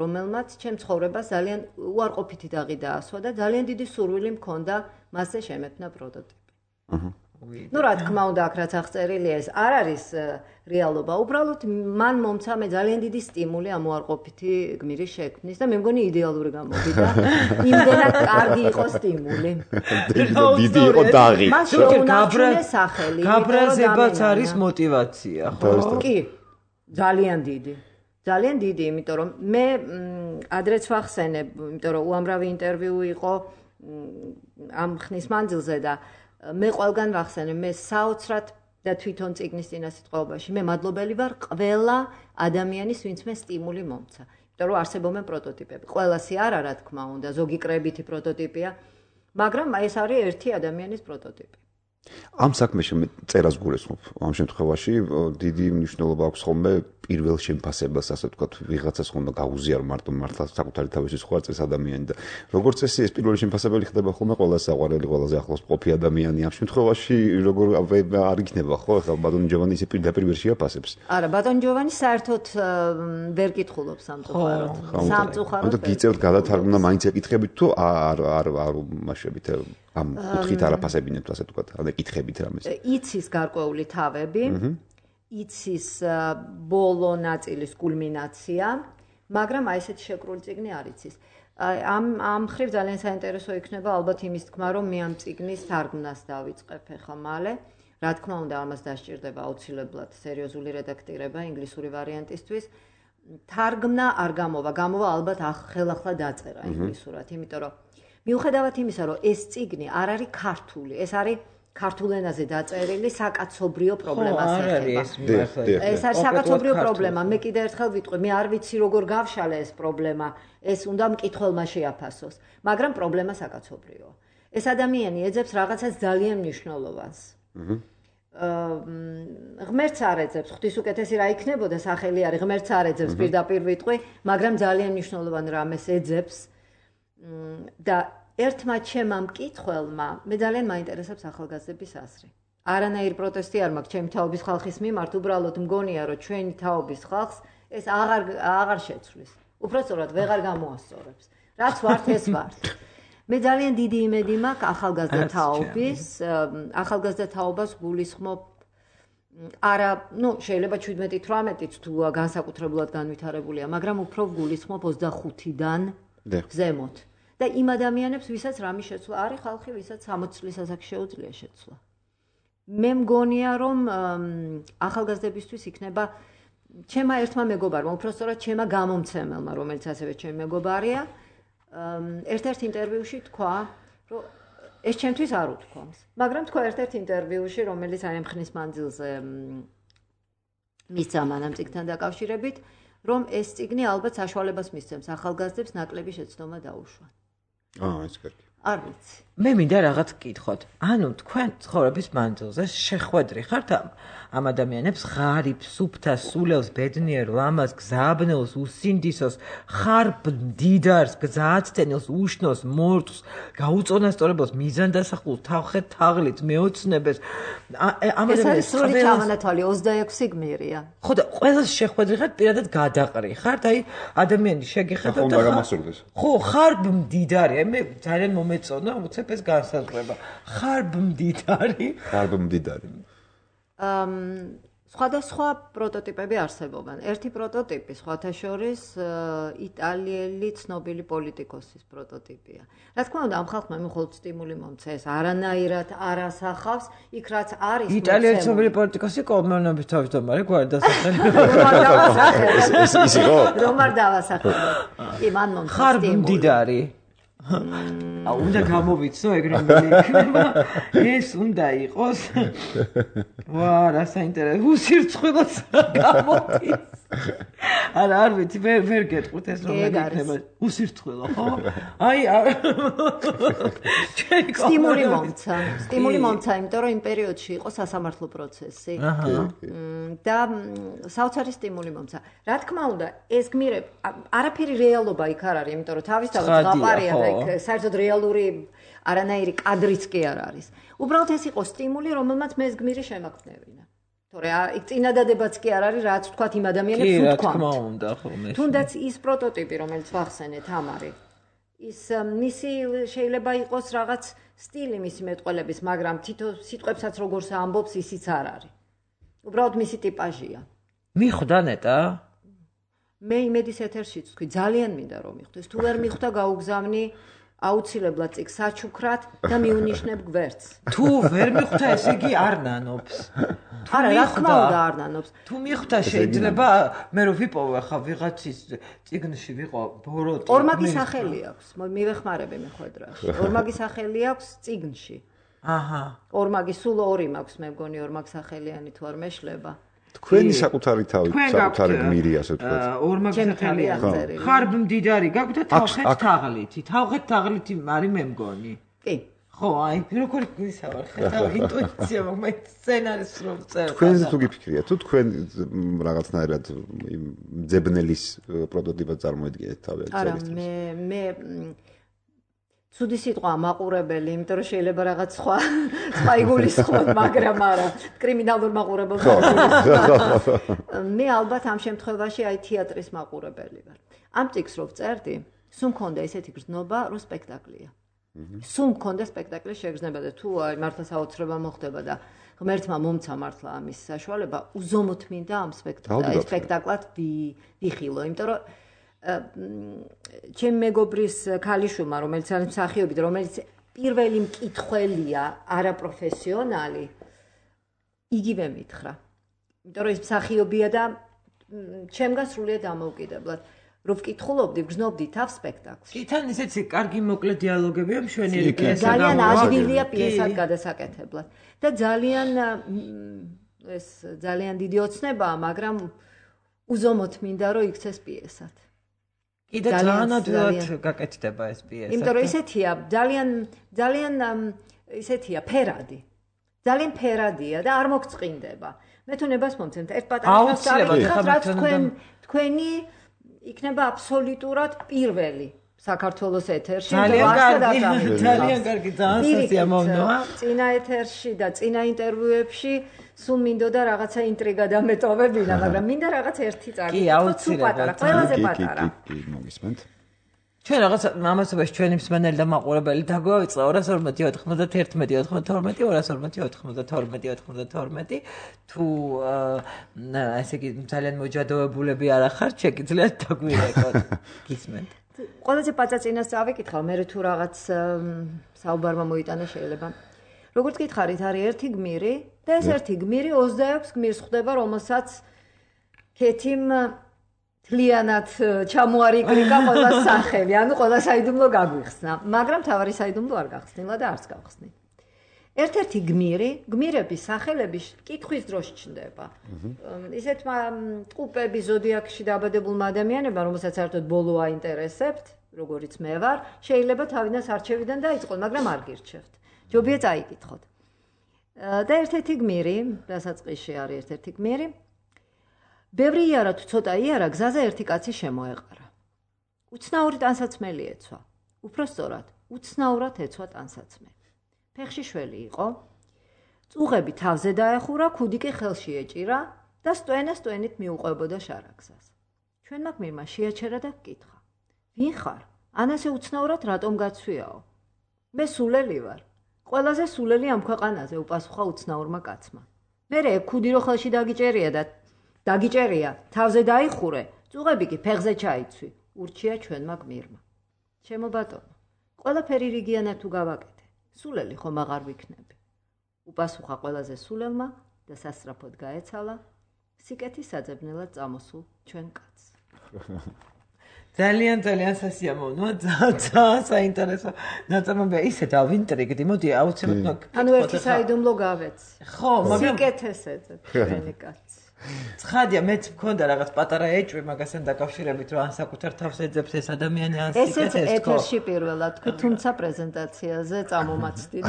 რომელმაც ჩემ ცხოვრებას ძალიან უარყოფითი დაღი დაასვა და ძალიან დიდი სურვილი მქონდა მასზე შემეფნა პროტოტიპი. რა თქმა უნდა, აქ რაც აღწერილია, ეს არ არის რეალობა, უბრალოდ მან მომცა მე ძალიან დიდი სტიმული ამ უარყოფითი გმირის შექმნის და მე მგონი იდეალური გამოვიდა. იმდენად კარგი იყო სტიმული. დიდი იყო დაღი. მას შეუნარჩუნე სახელი. გაბრაზებაც არის мотиваცია, ხო? კი, ძალიან დიდი. ძალიან დიდი, იმიტომ რომ მე ადრეც ვახსენებ, იმიტომ რომ უამრავი ინტერვიუ იყო ამ ხნის მანძილზე და მე ყველგან ვახსენებ, მე საოცრად და თვითონ წიგნის წინასიტყვაობაში მე მადლობელი ვარ ყველა ადამიანის, ვინც მე სტიმული მომცა. იმიტომ რომ არსებობენ პროტოტიპები. ყველასი არა, რა თქმა უნდა, ზოგი კრებითი პროტოტიპია, მაგრამ ეს არის ერთი ადამიანის პროტოტიპი. ამ საქმეში მე წერას გულისხმობ. ამ შემთხვევაში დიდი მნიშვნელობა აქვს ხოლმე პირველ შემფასებას, ასე ვთქვათ, ვიღაცას ხომ და გაუზიარო მართლა საკუთარი თავისი სხვა წეს ადამიანი და როგორც წესი ეს პირველი შემფასებელი ხდება ხოლმე ყველას საყვარელი, ყველაზე ახლოს მყოფი ადამიანი. ამ შემთხვევაში როგორ არ იქნება ხო? ახლა ბატონი ჯოვანი ისე პირდაპირ ვერ შეაფასებს. არა, ბატონი ჯოვანი საერთოდ ვერ კითხულობს სამწუხაროდ. სამწუხაროდ. ანუ გიწევთ გადათარგმნა მაინც ეკითხებით თუ არ უმაშებით ამ კუთხით არაფასებინებთ, ასე ვთქვათ, ან ეკითხებით რამეს. იცის გარკვეული თავები. იცის ბოლო ნაწილის კულმინაცია, მაგრამ აი ესეთი შეკრული წიგნი არ იცის. ამ ხრივ ძალიან საინტერესო იქნება ალბათ იმის თქმა, რომ მე ამ წიგნის თარგმნას დავიწყებ ახლა მალე. რა თქმა უნდა, ამას დასჭირდება აუცილებლად სერიოზული რედაქტირება ინგლისური ვარიანტისთვის. თარგმნა არ გამოვა, გამოვა ალბათ ხელახლა დაწერა ინგლისურად, იმიტომ რომ მიუხედავად იმისა, რომ ეს წიგნი არ არის ქართული, ეს არის ქართულ ენაზე დაწერილი საკაცობრიო პრობლემას ეხება. ეს არის საკაცობრიო პრობლემა. მე კიდევ ერთხელ ვიტყვი, მე არ ვიცი როგორ გავშალე ეს პრობლემა. ეს უნდა მკითხველმა შეაფასოს, მაგრამ პრობლემა საკაცობრიოა. ეს ადამიანი ეძებს რაღაცას ძალიან მნიშვნელოვანს. ღმერთს არ ეძებს, ღვთის უკეთესი რა იქნებოდა სახელი არის, ღმერთს არ ეძებს, პირდაპირ ვიტყვი, მაგრამ ძალიან მნიშვნელოვან რამეს ეძებს და ერთმა ჩემმა მკითხველმა მე ძალიან მაინტერესებს ახალგაზრდების აზრი. არანაირი პროტესტი არ მაქვს ჩემი თაობის ხალხის მიმართ, უბრალოდ მგონია, რომ ჩვენი თაობის ხალხს ეს აღარ შეცვლის. უბრალოდ ვეღარ გამოასწორებს. რაც ვართ, ეს ვართ. მე ძალიან დიდი იმედი მაქვს ახალგაზრდა თაობას გულისხმობ არა, შეიძლება 17-18-იც თუ განსაკუთრებულად განვითარებულია, მაგრამ უფრო გულისხმობ 25-დან ზემოთ. და იმ ადამიანებს, ვისაც რამე შეცვლა, არის ხალხი, ვისაც 60 წლის ასაკში შეუძლია შეცვლა. მე მგონია, რომ ახალგაზრდებისთვის იქნება ჩემმა ერთმა მეგობარმა, უпростоრად ჩემმა გამომცემელმა, რომელიც ასევე ჩემი მეგობარია, ერთ-ერთ ინტერვიუში თქვა, რომ ეს ჩემთვის არ უთქვამს. მაგრამ თქვა ერთ-ერთ ინტერვიუში, რომელიც აი ამ ხნის მანძილზე მისცა მანამ წიგნთან დაკავშირებით, რომ ეს წიგნი ალბათ საშუალებას მისცემს ახალგაზრდებს ნაკლები შეცდომა დაუშვან. ეს კარგი. არ ვიცი. მე მინდა რაღაც გკითხოთ. ანუ თქვენ ცხოვრების მანძილზე შეხვედრი ხართ ამ ადამიანებს ღარიბს, სუფთას, სულელს, ბედნიერ, ლამაზ, გზაბნელს, უსინდისოს, ხარბ მდიდარს, გზააცდენელს, უშნოს, მორწს, გაუწონასწორებელს, მიზანდასახულს, თავხეთ თაღლით, მეოცნებეს. ეს არის სრული ჩამონათვალი 26 გმირია. ხო და ყველას შეხვედრი ხართ, პირადად გადაყრი ხართ, აი ადამიანი შეგეხება და ხო, ხარბ მდიდარია. მე ძალიან მომეწონა, უცებ ეს განსაზღვრება. ხარბ მდიდარი. სხვადასხვა პროტოტიპები არსებობენ. ერთი პროტოტიპი სხვათა შორის იტალიელი ცნობილი პოლიტიკოსის პროტოტიპია. რა თქმა უნდა, ამ ხალხმა მხოლოდ სტიმული მომცა, ეს არანაირად არ ასახავს, იქ რაც არის. იტალიელი ცნობილი პოლიტიკოსი კოლმენობის თავმჯდომარე გვარი დასახელი. ის იყო? რომ არ დავასახელო. კი, მან მომცა სტიმული. ხარბ მდიდარი. უნდა გამოვიცნო ეგრემელი იქნება. ეს უნდა იყოს. ვა, რა საინტერესო. უსირცხვილოს გამოდის. არ ვიცი, ვერ გეტყვით ეს რომ იქნება. უსირცხვილო, ხო? აი სტიმული მომცა, იმიტომ რომ იმ პერიოდში იყო სასამართლო პროცესი. და საოცარი სტიმული მომცა. რა თქმა უნდა, ეს გმირები არაფერი რეალობა იქ არ არის, იმიტომ რომ თავისთავად გაყარია და იქ საერთოდ რეალური არანაირი კადრიც კი არ არის. უბრალოდ ეს იყო სტიმული, რომელმაც მე ეს გმირი შემაგნევინა. თორე იქ წინადადებაც კი არ არის, რაც ვთქვათ იმ ადამიანებს უთქვამთ. კი, რა თქმა უნდა, ხოლმე. თუნდაც ის პროტოტიპი, რომელიც ვახსენეთ, ამარი. ის მისი შეიძლება იყოს რაღაც სტილი მისი მეტყველების, მაგრამ თითო სიტყვებსაც როგორც ამბობს, ისიც არ არის. უბრალოდ მისი ტიპაჟია. მიხვდა ნეტა? მე იმედის ეთერშიც თქვი, ძალიან მინდა რომ მიხვდეს. თუ ვერ მიხვდა, გაუგზავნი აუცილებლად წიგნს საჩუქრად და მიუნიშნებ გვერდს. თუ ვერ მიხვდა ესე იგი არ ნანობს. არა, რა თქმა უნდა არ ნანობს. თუ მიხვდა შეიძლება მე რო ვიპოვე ხა ვიღაცის წიგნში ვიყო ბოროტი. ორმაგი სახელი აქვს. მივეხმარები მეხვედრაში. ორმაგი სახელი აქვს წიგნში. აჰა. ორმაგი სულ ორი მაქვს მე მგონი ორმაგი სახელიანი თუ არ მეშლება. თქვენი საკუთარი თავი, საკუთარი გმირი ასე ვთქვათ. ორმაგი სახელია. ხარბ მდიდარი გაქვს და თავხეთ თაღლითი. თავხეთ თაღლითი არის მე მგონი. კი. ხო, აი, როგორ გისავარ, ხედავ ინტუიცია მაგ სცენარის რო წერს. თქვენზე თუ გიფიქრია, თუ თქვენ რაღაცნაირად ძებნელის პროტოტიპად წარმოიდგინეთ თავი არა, მე ცუდი სიტყვა მაყურებელი, იმიტომ რომ შეიძლება რაღაც სხვა იგულისხმოთ, მაგრამ არა, კრიმინალურ მაყურებელს. მე ალბათ ამ შემთხვევაში აი თეატრის მაყურებელი ვარ. ამ წიგნს რო ვწერდი, სულ მქონდა ესეთი გრძნობა, რომ სპექტაკლია. სულ მქონდა სპექტაკლის შეგრძნება და თუ აი მართლა საოცრება მოხდება და ღმერთმა მომცა მართლა ამის საშუალება, უზომოდ მინდა ამ სპექტაკლად ვიხილო, იმიტომ რომ ჩემი მეგობრის ქალიშვილმა, რომელიც არის მსახიობი და რომელიც პირველი მკითხველია, არაპროფესიონალი, იგივე მითხრა. იმიტომ რომ ის მსახიობია და ჩემგან სრულიად დამოუკიდებლად. რო ვკითხულობდი, ვგრძნობდი თავს სპექტაკლს. კი, თან ისეთი კარგი მოკლე დიალოგებია მშვენიერი პიესა. ძალიან ადვილია პიესად გადასაკეთებლად. და ძალიან დიდი ოცნებაა, მაგრამ უზომოდ მინდა რომ იქცეს პიესად. კი და ძალიან ადვილად გაკეთდება ეს პიესა. იმიტომ რომ ისეთია, ძალიან ისეთია ფერადი. ძალიან ფერადია და არ მოგწყინდება. მე თუ ნებას მომცემთ, ერთ პატარა ხალხს დავიკითხავთ, რაც თქვენი იქნება აბსოლუტურად პირველი საქართველოს ეთერში. ძალიან კარგი, ძალიან სასიამოვნოა. წინა ეთერში და წინა ინტერვიუებში სულ მინდოდა რაღაცა ინტრიგა დამეტოვებინა, მაგრამ მინდა რაღაც ერთი წაკითხო. კი, აუცილებლად. ყველაზე პატარა. კი, მოგისმენთ. ჩვენ რაღაც ამასობაში ჩვენი მსმენელი და მაყურებელი დაგვაიწყა 240-91-92 თუ ესე იგი ძალიან მოჯადოებულები არ ახართ, შეგიძლიათ დაგვირეკოთ. გისმენთ. ყველაზე პაწაწინას წავიკითხავ, მე თუ რაღაც საუბარმა მოიტანა შეიძლება. როგორც გითხარით, არის ერთი გმირი და ეს ერთი გმირი 26 გმირს ხვდება, რომელსაც ქეთიმ თლიანად ჩამოარიკრიკა ყველა სახელი, ანუ ყველა საიდუმლო გაგვიხსნა, მაგრამ თავარი საიდუმლო არ გახსნილა და არც გავხსნით. ერთ-ერთი გმირების სახელები კითხვის დროს ჩნდება. ისეთმა ტყუპები ზოდიაქში დაბადებულმა ადამიანებმა, რომელსაც საერთოდ ბოლო აინტერესებთ, როგორიც მე ვარ, შეიძლება თავიდან არჩევიდან დაიწყოთ, მაგრამ არ გირჩევთ. ჯობია წაიკითხოთ. და ერთ-ერთი გმირი, დასაწყისში არის ერთ-ერთი გმირი, ბევრი იარა თუ ცოტა იარა, გზაზე ერთი კაცი შემოეყარა. უცნაური ტანსაცმელი ეცვა. უფრო სწორად, უცნაურად ეცვა ტანსაცმელი. ფეხში შველი იყო, წუღები თავზე დაეხურა, ქუდი კი ხელში ეჭირა და სტვენით მიუყვებოდა შარაგზას. ჩვენმა გმირმა შეაჩერა და გკითხა: "ვინ ხარ? ან ასე უცნაურად რატომ გაცვიაო?" "მე სულელი ვარ." "ყველაზე სულელი ამ ქვეყანაზე," უპასუხა უცნაურმა კაცმა. "მერე ქუდი რო ხელში დაგიჭერია, თავზე დაიხურე, წუღები კი ფეხზე ჩაიცვი," ურჩია ჩვენმა გმირმა. "ჩემო ბატონო, ყველაფერი რიგიანად თუ გავაკეთე, სულელი ხომ აღარ ვიქნები," უპასუხა ყველაზე სულელმა და სასწრაფოდ გაეცალა სიკეთის საძებნელად წამოსულ ჩვენ კაცს. ძალიან სასიამოვნოა, ძალიან საინტერესო ნაწარმოებია. ისე დავინტრიგდი, მოდი აუცილებლად. ანუ ერთი საიდუმლო გავეცი. ხო, მაგრამ სიკეთეს ეძებ ჩვენი კაცი. ცხადია, მეც მქონდა რაღაც პატარა ეჭვი მაგასთან დაკავშირებით, რომ ან საკუთარ თავს ეძებს ეს ადამიანი, ან სიკეთეს. ესეც ეთერში პირველად თქვი, თუმცა პრეზენტაციაზე წამომაცდით.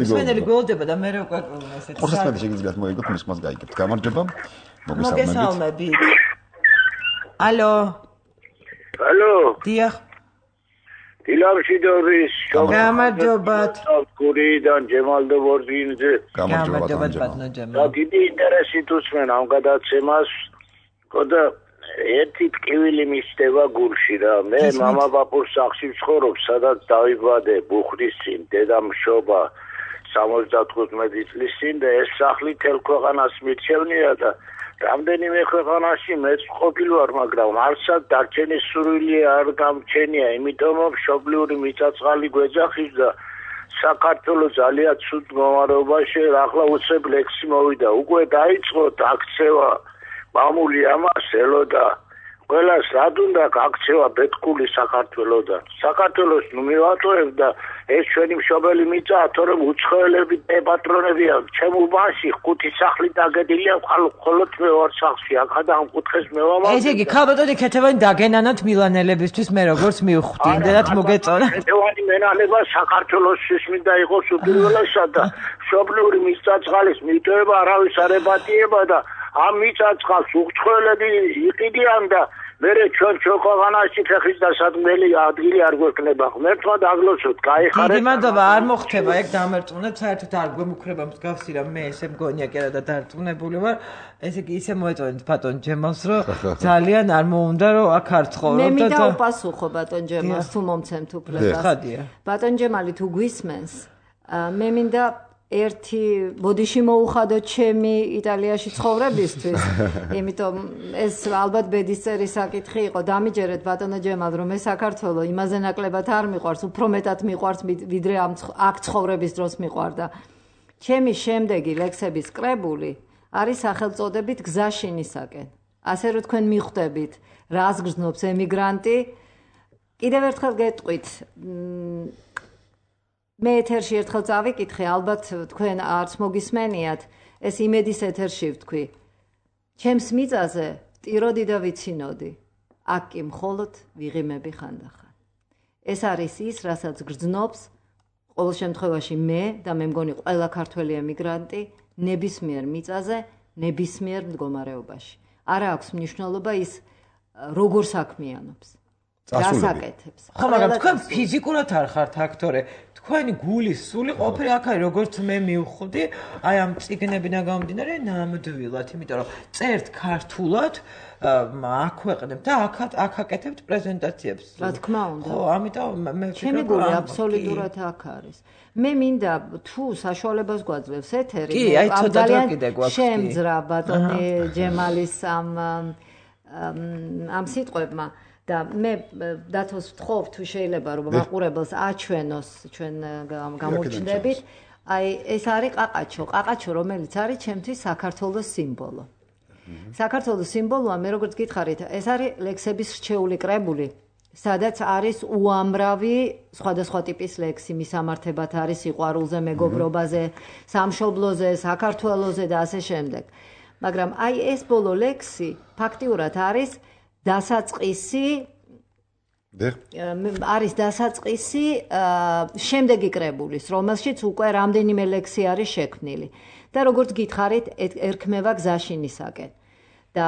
მსმენელი გველდება და მე უკვე ესეც. ხოსმედი შეგიძლიათ მოიგოთ, მის მას გაიგებთ. გამარჯობა. მოგესალმებით. ალო. დიახ. დილამშვიდობის. გამარჯობათ. გურიდან ჯემალდობორდინზე. გამარჯობათ ბატონო ჯემალ. და დიდი ინტერესით უსმენ ამ გადაცემას. ხოდა ერთი ტკივილი მისდება გულში რა. მე მამა ბაბუს სახლში ვცხოვრობ, სადაც დავიბადე ბუხრის წინ, დედამშობა 75 წლის წინ და ეს სახლი თელ ქვეყანას მირჩევნია და რამდენიმე ქვეყანაში მეც ყოფილი ვარ, მაგრამ არცად დარჩენის სურვილი არ გამჩენია, იმიტომ რომ მშობლიური მიწა-წყალი გვეძახის და საქართველოს ძალიან ცუდ მდგომარეობაში, ახლა უცებ ლექსი მოვიდა. უკვე დაიწყოთ აქცევა მამული ამას ელოდა. ყველას რად უნდა გაქცევა ბეთქული საქართველოსთან. საქართველოს ნუ მივატოვებ და ეს ჩვენი მშობელი მიწაა, თორემ უცხოელები პატრონებია. ჩემ უბანში 5 სახლი დაგედილია, მხოლოდ მე ვარ სახლში. აქადა ამ კუთხეს მე ვამაყობ. ესე იგი, ქალბატონი ქეთევანი დაგენანოთ მილანელებისთვის, მე როგორც მივხვდი, იმდენად მოგეწონა. ქეთევანი მენანება საქართველოსთვის მინდა იყოს უპირველესად და მშობლიური მიწა-წყალის მიტოვება არავის არ ებატიება და ამ მიწა-წყალს უცხოელები იყიდიან და მერე ჩვენ ქვეყანაში ფეხის დასადგმელი ადგილი არ გვექნება. ღმერთმა დაგლოცოთ, გაიხარეთ. დიდი მადლობა, არ მოხდება ეგ დამერწმუნეთ, საერთოდ არ გვემუქრება მსგავსი რამ, მე ესე მგონია კი არა და დარწმუნებული ვარ. ესე იგი ისე მოეწონეთ ბატონ ჯემალს, რომ ძალიან არ მოუნდა რომ აქ არ ცხოვრობ და მე მინდა უპასუხო ბატონ ჯემალს, თუ მომცემთ უფლებას. ბატონ ჯემალი თუ გვისმენს, მე მინდა ერთი ბოდიში მოუხადო ჩემი იტალიაში ცხოვრებისთვის. იმიტომ ეს ალბათ ბედისწერი საკითხი იყო. დამიჯერეთ ბატონო ჯემალ, რომ ეს საქართველო იმაზე ნაკლებად არ მიყვარს, უფრო მეტად მიყვარს, ვიდრე აქ ცხოვრების დროს მიყვარდა. ჩემი შემდეგი ლექსების კრებული არის სახელწოდებით გზაშინისაკენ. ასე რომ თქვენ მიხვდებით, რას გრძნობს ემიგრანტი. კიდევ ერთხელ გეტყვით, მე ეთერში ერთხელ წავიკითხე, ალბათ თქვენ არც მოგისმენიათ, ეს იმედის ეთერში ვთქვი. ჩემს მიწაზე ვტიროდი და ვიცინოდი, აქ კი მხოლოდ ვიღიმები ხანდახან. ეს არის ის, რასაც გრძნობს ყოველ შემთხვევაში მე და მე მგონი ყველა ქართველი ემიგრანტი ნებისმიერ მიწაზე, ნებისმიერ მდგომარეობაში. არა აქვს მნიშვნელობა ის როგორ საქმიანობს. დასაკეთებს. ხო, მაგრამ თქვენ ფიზიკურად არ ხართ აქტორი. თქვენი გულის სული ყოფილი აქ არის, როგორც მე მივხვდი, აი ამ წიგნებიდან გამომდინარე ნამდვილად, იმიტომ რომ წერთ ქართულად, აქვეყნებთ და აქ აკეთებთ პრეზენტაციებს. რა თქმა უნდა. ხო, ამიტომ მე ვფიქრობ, ჩემი გული აბსოლუტურად აქ არის. მე მინდა თუ საშუალებას გვაძლევს ეთერი, შემძრა ბატონი ჯემალის ამ სიტყვებმა. და მე დათოს ვთხოვ თუ შეიძლება რომ მაყურებელს აჩვენოს ჩვენ გამოვჩნდებით. აი ეს არის ყაყაჩო, ყაყაჩო რომელიც არის ჩემთვის საქართველოს სიმბოლო. საქართველოს სიმბოლოა, მე როგორც გითხარით, ეს არის ლექსების რჩეული კრებული, სადაც არის უამრავი სხვადასხვა ტიპის ლექსი, მისამართებად არის სიყვარულზე, მეგობრობაზე, სამშობლოზე, საქართველოზე და ასე შემდეგ. მაგრამ აი ეს ბოლო ლექსი ფაქტიურად არის დასაწყისი შემდეგი კრებულის, რომელშიც უკვე რამდენიმე ლექსი არის შექმნილი. და როგორც გითხარით, ერქმევა გზაშინისაკენ. და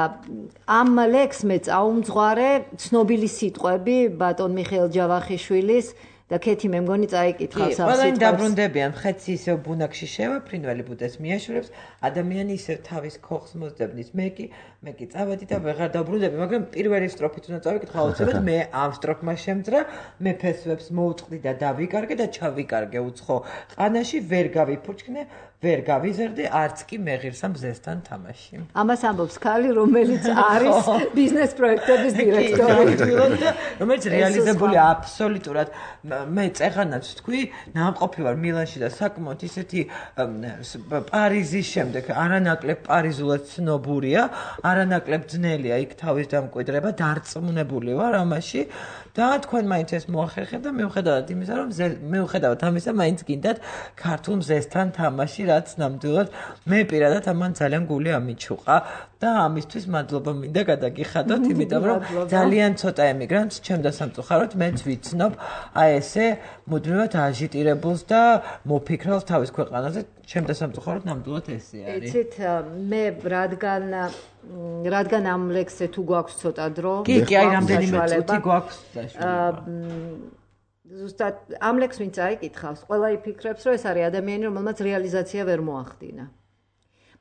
ამ ლექსს მე წაუმძღვარე ცნობილი სიტყვები ბატონ მიხეილ ჯავახიშვილის და ქეთი მე მგონი წაიკითხავს ამ სიტყვებს. ყველანი დაბრუნდებიან, ხეთსი ისევ ბუნაგში შევა, ფრინველი ბუდეს მიაშურებს, ადამიანი ისევ თავის ქოხს მოსდებნის. მე კი წავედი და ვეღარ დაბრუნდები, მაგრამ პირველი სტროფით უნდა წავიკითხო, აუცილებლად მე ამ სტროფმა შემძრა, მე ფესვებს მოვწყდი და დავიკარგე და ჩავიკარგე უცხო ყანაში, ვერ გავიფურჩქნე, ვერ გავიზარდე, არც კი მეღირსა მზესთან თამაში. ამას ამბობს ქალი, რომელიც არის ბიზნეს პროექტების დირექტორი, რომელიც რეალიზებული აბსოლუტურად. მე წეღანაც თქვი, ნამყოფი ვარ მილანში და საკმაოდ ისეთი პარიზის შემდეგ არანაკლებ პარიზულად ცნობურია, არანაკლებ ძნელია იქ თავის დამკვიდრება, დარწმუნებული ვარ ამაში და თქვენ მაინც ეს მოახერხეთ და მიუხედავად იმისა, რომ მიუხედავად ამისა, მაინც გინდათ ქართულ მზესთან თამაში, რაც ნამდვილად მე პირადად ამან ძალიან გული ამიჩუყა და ამისთვის მადლობა მინდა გადაგიხადოთ, იმიტომ რომ ძალიან ცოტა ემიგრანტს ჩემდა სამწუხაროდ მეც ვიცნობ აი ესე მუდმივად აჟიტირებულს და მოფიქრალს თავის ქვეყანაზე, ჩემდა სამწუხაროდ ნამდვილად ესე არის. იცით, მე რადგან ამ ლექსზე თუ გვაქვს ცოტა დრო, კი, აი რამდენიმე წუთი გვაქვს საშუალება. ზუსტად ამ ლექსს ვინც აიკითხავს, ყველა იფიქრებს, რომ ეს არის ადამიანი, რომელმაც რეალიზაცია ვერ მოახდინა.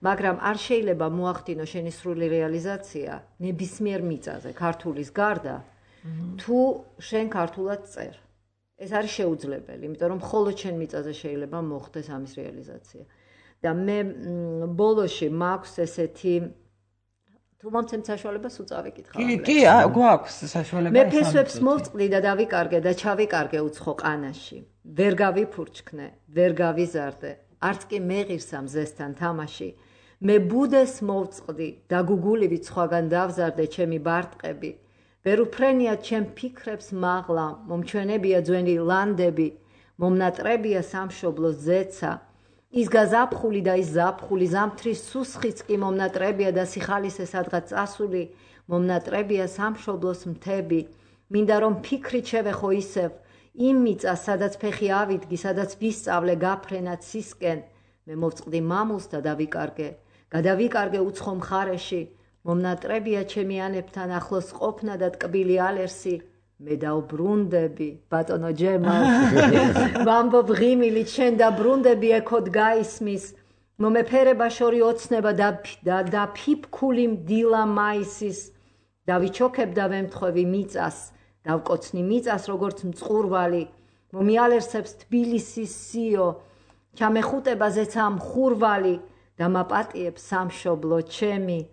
მაგრამ არ შეიძლება მოახდინოს შენი სრული რეალიზაცია ნებისმიერ მიწაზე, ქართულის გარდა, თუ შენ ქართულად წერ. ეს არის შეუძლებელი, იმიტომ რომ მხოლოდ შენ მიწაზე შეიძლება მოხდეს ამის რეალიზაცია. და მე ბოლოში მაქვს ესეთი თუ მომცემ საშუალებას უწავიკითხავ. კი, გვაქვს საშუალება. მე ფესვებს მოვწყდი და დავიკარგე და ჩავიკარგე უცხო ყანაში. ვერ გავიფურჩქნე, ვერ გავიზარდე. არც კი მეღირსა მზესთან თამაში. მე ბუდეს მოვწყდი და გუგულივით სხვაგან დავზარდე ჩემი ბარტყები. ვერ უფრენია ჩემ ფიქრებს მაღლა, მომჩვენებია ძველი ლანდები, მომნატრებია სამშობლოს ზეცა. ის გაზაფხული და ის ზაფხული, ზამთრის სუსხიც კი მომნატრებია და სიხალისე სადღაც წასული, მომნატრებია სამშობლოს მთები. მინდა რომ ფიქრით შევეხო ისევ, იმ მიწას, სადაც ფეხი ავიდგი, სადაც ვისწავლე გაფრენა ცისკენ. მე მოვწყდი მამულს და დავიკარგე. გადავიკარგე უცხო მხარეში, მომნატრებია ჩემი ანებთან ახლოს ყოფნა და ტკბილი ალერსი. მე დავბრუნდები, ბატონო ჯემალ. ვამბობ ღიმილით შენ დაბრუნდები ეკოდ გაისმის. მომეფერება შორი ოცნება და ფიფქული მდილა მაისის. დავიჩოქებ და ვემთხვევი მიწას, დავკოცნი მიწას როგორც მწყურვალი. მომიალერსებს თბილისის სიო, ჩამეხუტება ზეცა მხურვალი. და მაპატიებს სამშობლო ჩემი.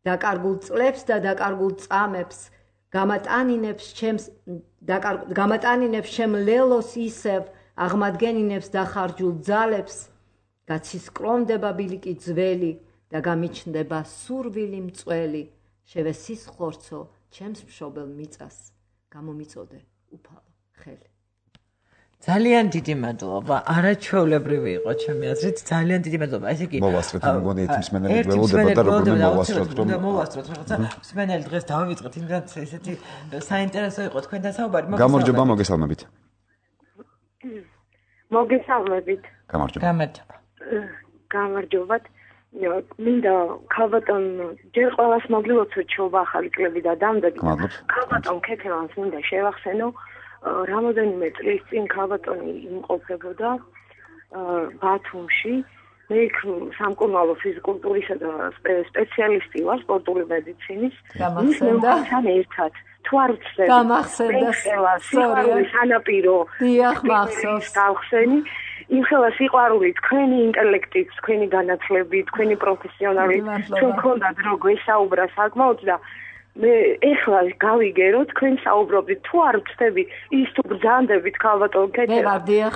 დაკარგულ წლებს და დაკარგულ წამებს, გამატანინებს ჩემ ლელოს ისევ, აღმადგენინებს დახარჯულ ძალებს, გაცისკრომდება ბილიკი ძველი და გამიჩნდება სურვილი მწველი. შევესისხლორცო ჩემს მშობელ მიწას, გამომიწოდე უფალო ხელი. ძალიან დიდი მადლობა. არაჩვეულებრივი იყო ჩემი აზრით. ძალიან დიდი მადლობა. ესე იგი მოვასწროთ, მგონი ერთი მსმენელი ველოდება და როგორ მოვასწროთ, რომ მოვასწროთ რაღაცა. მსმენელი დღეს დავივიწყეთ, იმდან ესეთი საინტერესო იყო თქვენთან საუბარი. გამარჯობა, მოგესალმებით. მოგესალმებით. გამარჯობა. გამარჯობათ. მინდა ქალბატონ ჯერ ყველას მოგილოცოთ შობა ახალი კლები და დამდეგი. ქალბატონ ქეთევანს მინდა შევახსენო. რამოდენიმე წლის წინ ქალბატონი იმყოფებოდა ბათუმში. მე იქ სამკურნალო ფიზიკულტურისა და სპეციალისტი ვარ სპორტული მედიცინის. გამახსენდა ერთად. თუ არ ვცდები. გამახსენდა. სიყვარულის სანაპირო. დიახ, მახსოვს. გავხსენი. იმ ხელა სიყვარული, თქვენი ინტელექტით, თქვენი განათლებით, თქვენი პროფესიონალი, ჩვენ გქონდათ რო გვესაუბრა საკმაოდ და მე ეხლა გავიგერო თქვენ საუბრობთ თუ არ ვწდები ის თუ ბრძანდებით ქალბატონ ქეთევან. მე ვარ დიახ.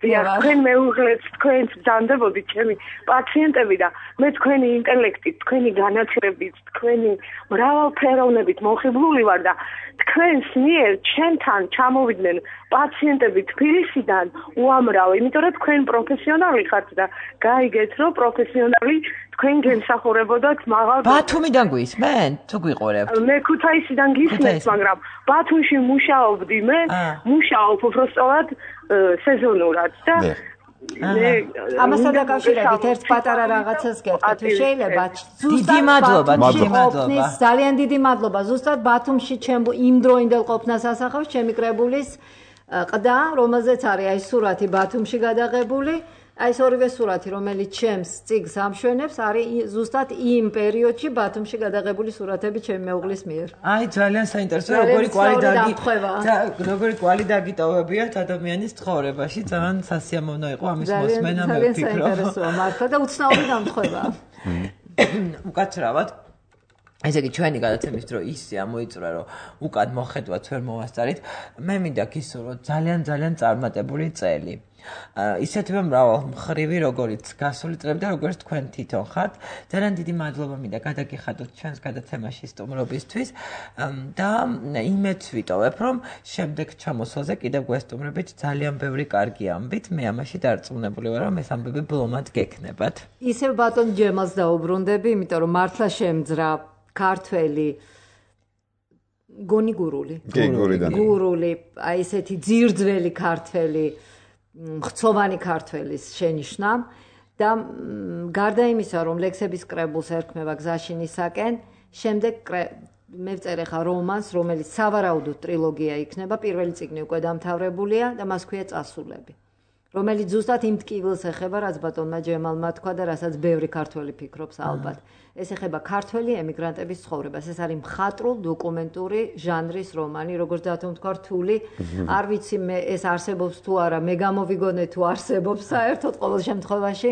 თქვენ მეუღლეთ თქვენ ბრძანდებოდით ჩემი პაციენტები და მე თქვენი ინტელექტით, თქვენი განათლებით, თქვენი მრავალფეროვნებით მოხიბლული ვარ და თქვენს მიერ ჩემთან ჩამოვიდნენ პაციენტები თბილისიდან უამრავი, იმიტომ რომ თქვენ პროფესიონალი ხართ და გაიგეთ რომ პროფესიონალი თქვენ გემსახურებოდათ მაღალ ბათუმიდან გვისმენ თუ გვიყურებ? მე ქუთაისიდან გისმენთ, მაგრამ ბათუმში მუშაობდი მე, მუშაობ უბრალოდ სეზონურად და ამასთან დაკავშირებით ერთ პატარა რაღაცას გეტყვი თუ შეიძლება. დიდი მადლობა, დიდი მადლობა. ძალიან დიდი მადლობა. ზუსტად ბათუმში ჩემ იმდროინდელ ყოფნას ასახავს ჩემი კრებულის ყდა, რომელზეც არის აი სურათი ბათუმში გადაღებული. აი ეს ორივე სურათი, რომელიც ჩემს წიგნს ამშვენებს, არის ზუსტად იმ პერიოდში ბათუმში გადაღებული სურათები ჩემი მეუღლის მიერ. აი ძალიან საინტერესოა, როგორი კვალი დაგიტოვებიათ ადამიანის ცხოვრებაში. ძალიან სასიამოვნო იყო ამის მოსმენა, მე ვფიქრობ. ძალიან საინტერესოა მართლა და უცნაური დამთხევა. უკაცრავად ესე იგი ჩვენი გადაცემის დრო ისე ამოიწურა რომ უკან მოხედვაც ვერ მოვასწარით. მე მინდა გისურვოთ ძალიან წარმატებული წელი. ისეთივე მრავალმხრივი როგორც გასული წლები და როგორც თქვენ თვითონ ხართ. ძალიან დიდი მადლობა მინდა გადაგიხადოთ ჩვენს გადაცემაში სტუმრობისთვის და იმედს ვიტოვებ რომ შემდეგ ჩამოსვლაზე კიდევ გვესტუმრებით ძალიან ბევრი კარგი ამბით. მე ამაში დარწმუნებული ვარ რომ ეს ამბები ბლომად გექნებათ. ისევ ბატონ ჯემალს დაუბრუნდები, იმიტომ რომ მართლა შემძრა ქართველი გონიგურული. გურული, აი ესეთი ძირძველი ქართველი ხცოვანი ქართველის შენიშვნა და გარდა იმისა რომ ლექსების კრებულს ერქმევა გზაში ნისაკენ, შემდეგ მე ვწერე ხა რომანს, რომელიც სავარაუდოდ ტრილოგია იქნება, პირველი წიგნი უკვე დამთავრებულია და მას ქვია წასულები, რომელიც ზუსტად იმ ტკივილს ეხება, რაც ბატონმა ჯემალმა თქვა და რასაც ბევრი ქართველი ფიქრობს ალბათ. ეს ეხება ქართველი ემიგრანტების ცხოვრებას. ეს არის მხატვრულ დოკუმენტური ჟანრის რომანი, როგორც დათომ თქვა რთული. არ ვიცი მე ეს არსებობს თუ არა, მე გამოვიგონე თუ არსებობს საერთოდ ყოველ შემთხვევაში.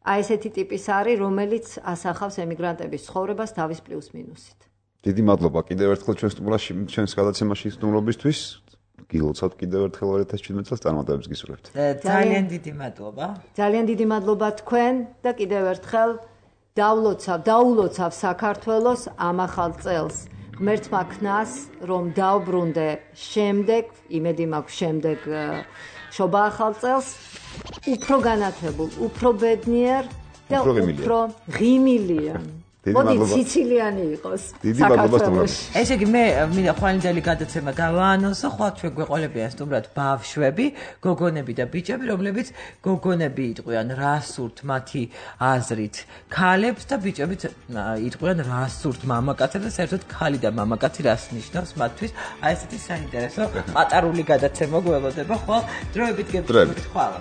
აი ესეთი ტიპის არის, რომელიც ასახავს ემიგრანტების ცხოვრებას თავის პლუს მინუსით. დიდი მადლობა კიდევ ერთხელ ჩვენს გადაცემაში სტუმრობისთვის. გილოცავთ კიდევ ერთხელ 2017 წელს წარმატებებს გისურვებთ. ძალიან დიდი მადლობა. ძალიან დიდი მადლობა თქვენ და კიდევ ერთხელ დაულოცავ საქართველოს ამ ახალ წელს. ღმერთმა ქნას, რომ დავბრუნდე შემდეგ, იმედი მაქვს შემდეგ შობა ახალ წელს, უფრო განათებულ, უფრო ბედნიერ და უფრო ღიმილიან. მოდი ციცილიანი იყოს. დიდი მადლობა სტუმრებს. ესე იგი მე მინდა ხვალინძელი გადაცემა გავაანონსო, ხვალ ჩვენ გვეყოლებიან სტუმრად ბავშვები, გოგონები და ბიჭები, რომლებიც გოგონები იტყვიან რა სურთ მათი აზრით ქალებს და ბიჭებიც იტყვიან რა სურთ მამაკაცებს და საერთოდ ქალი და მამაკაცი რას ნიშნავს მათთვის. აი ესეთი საინტერესო პატარული გადაცემა გველოდება ხვალ დროებით გებთ ხვალ.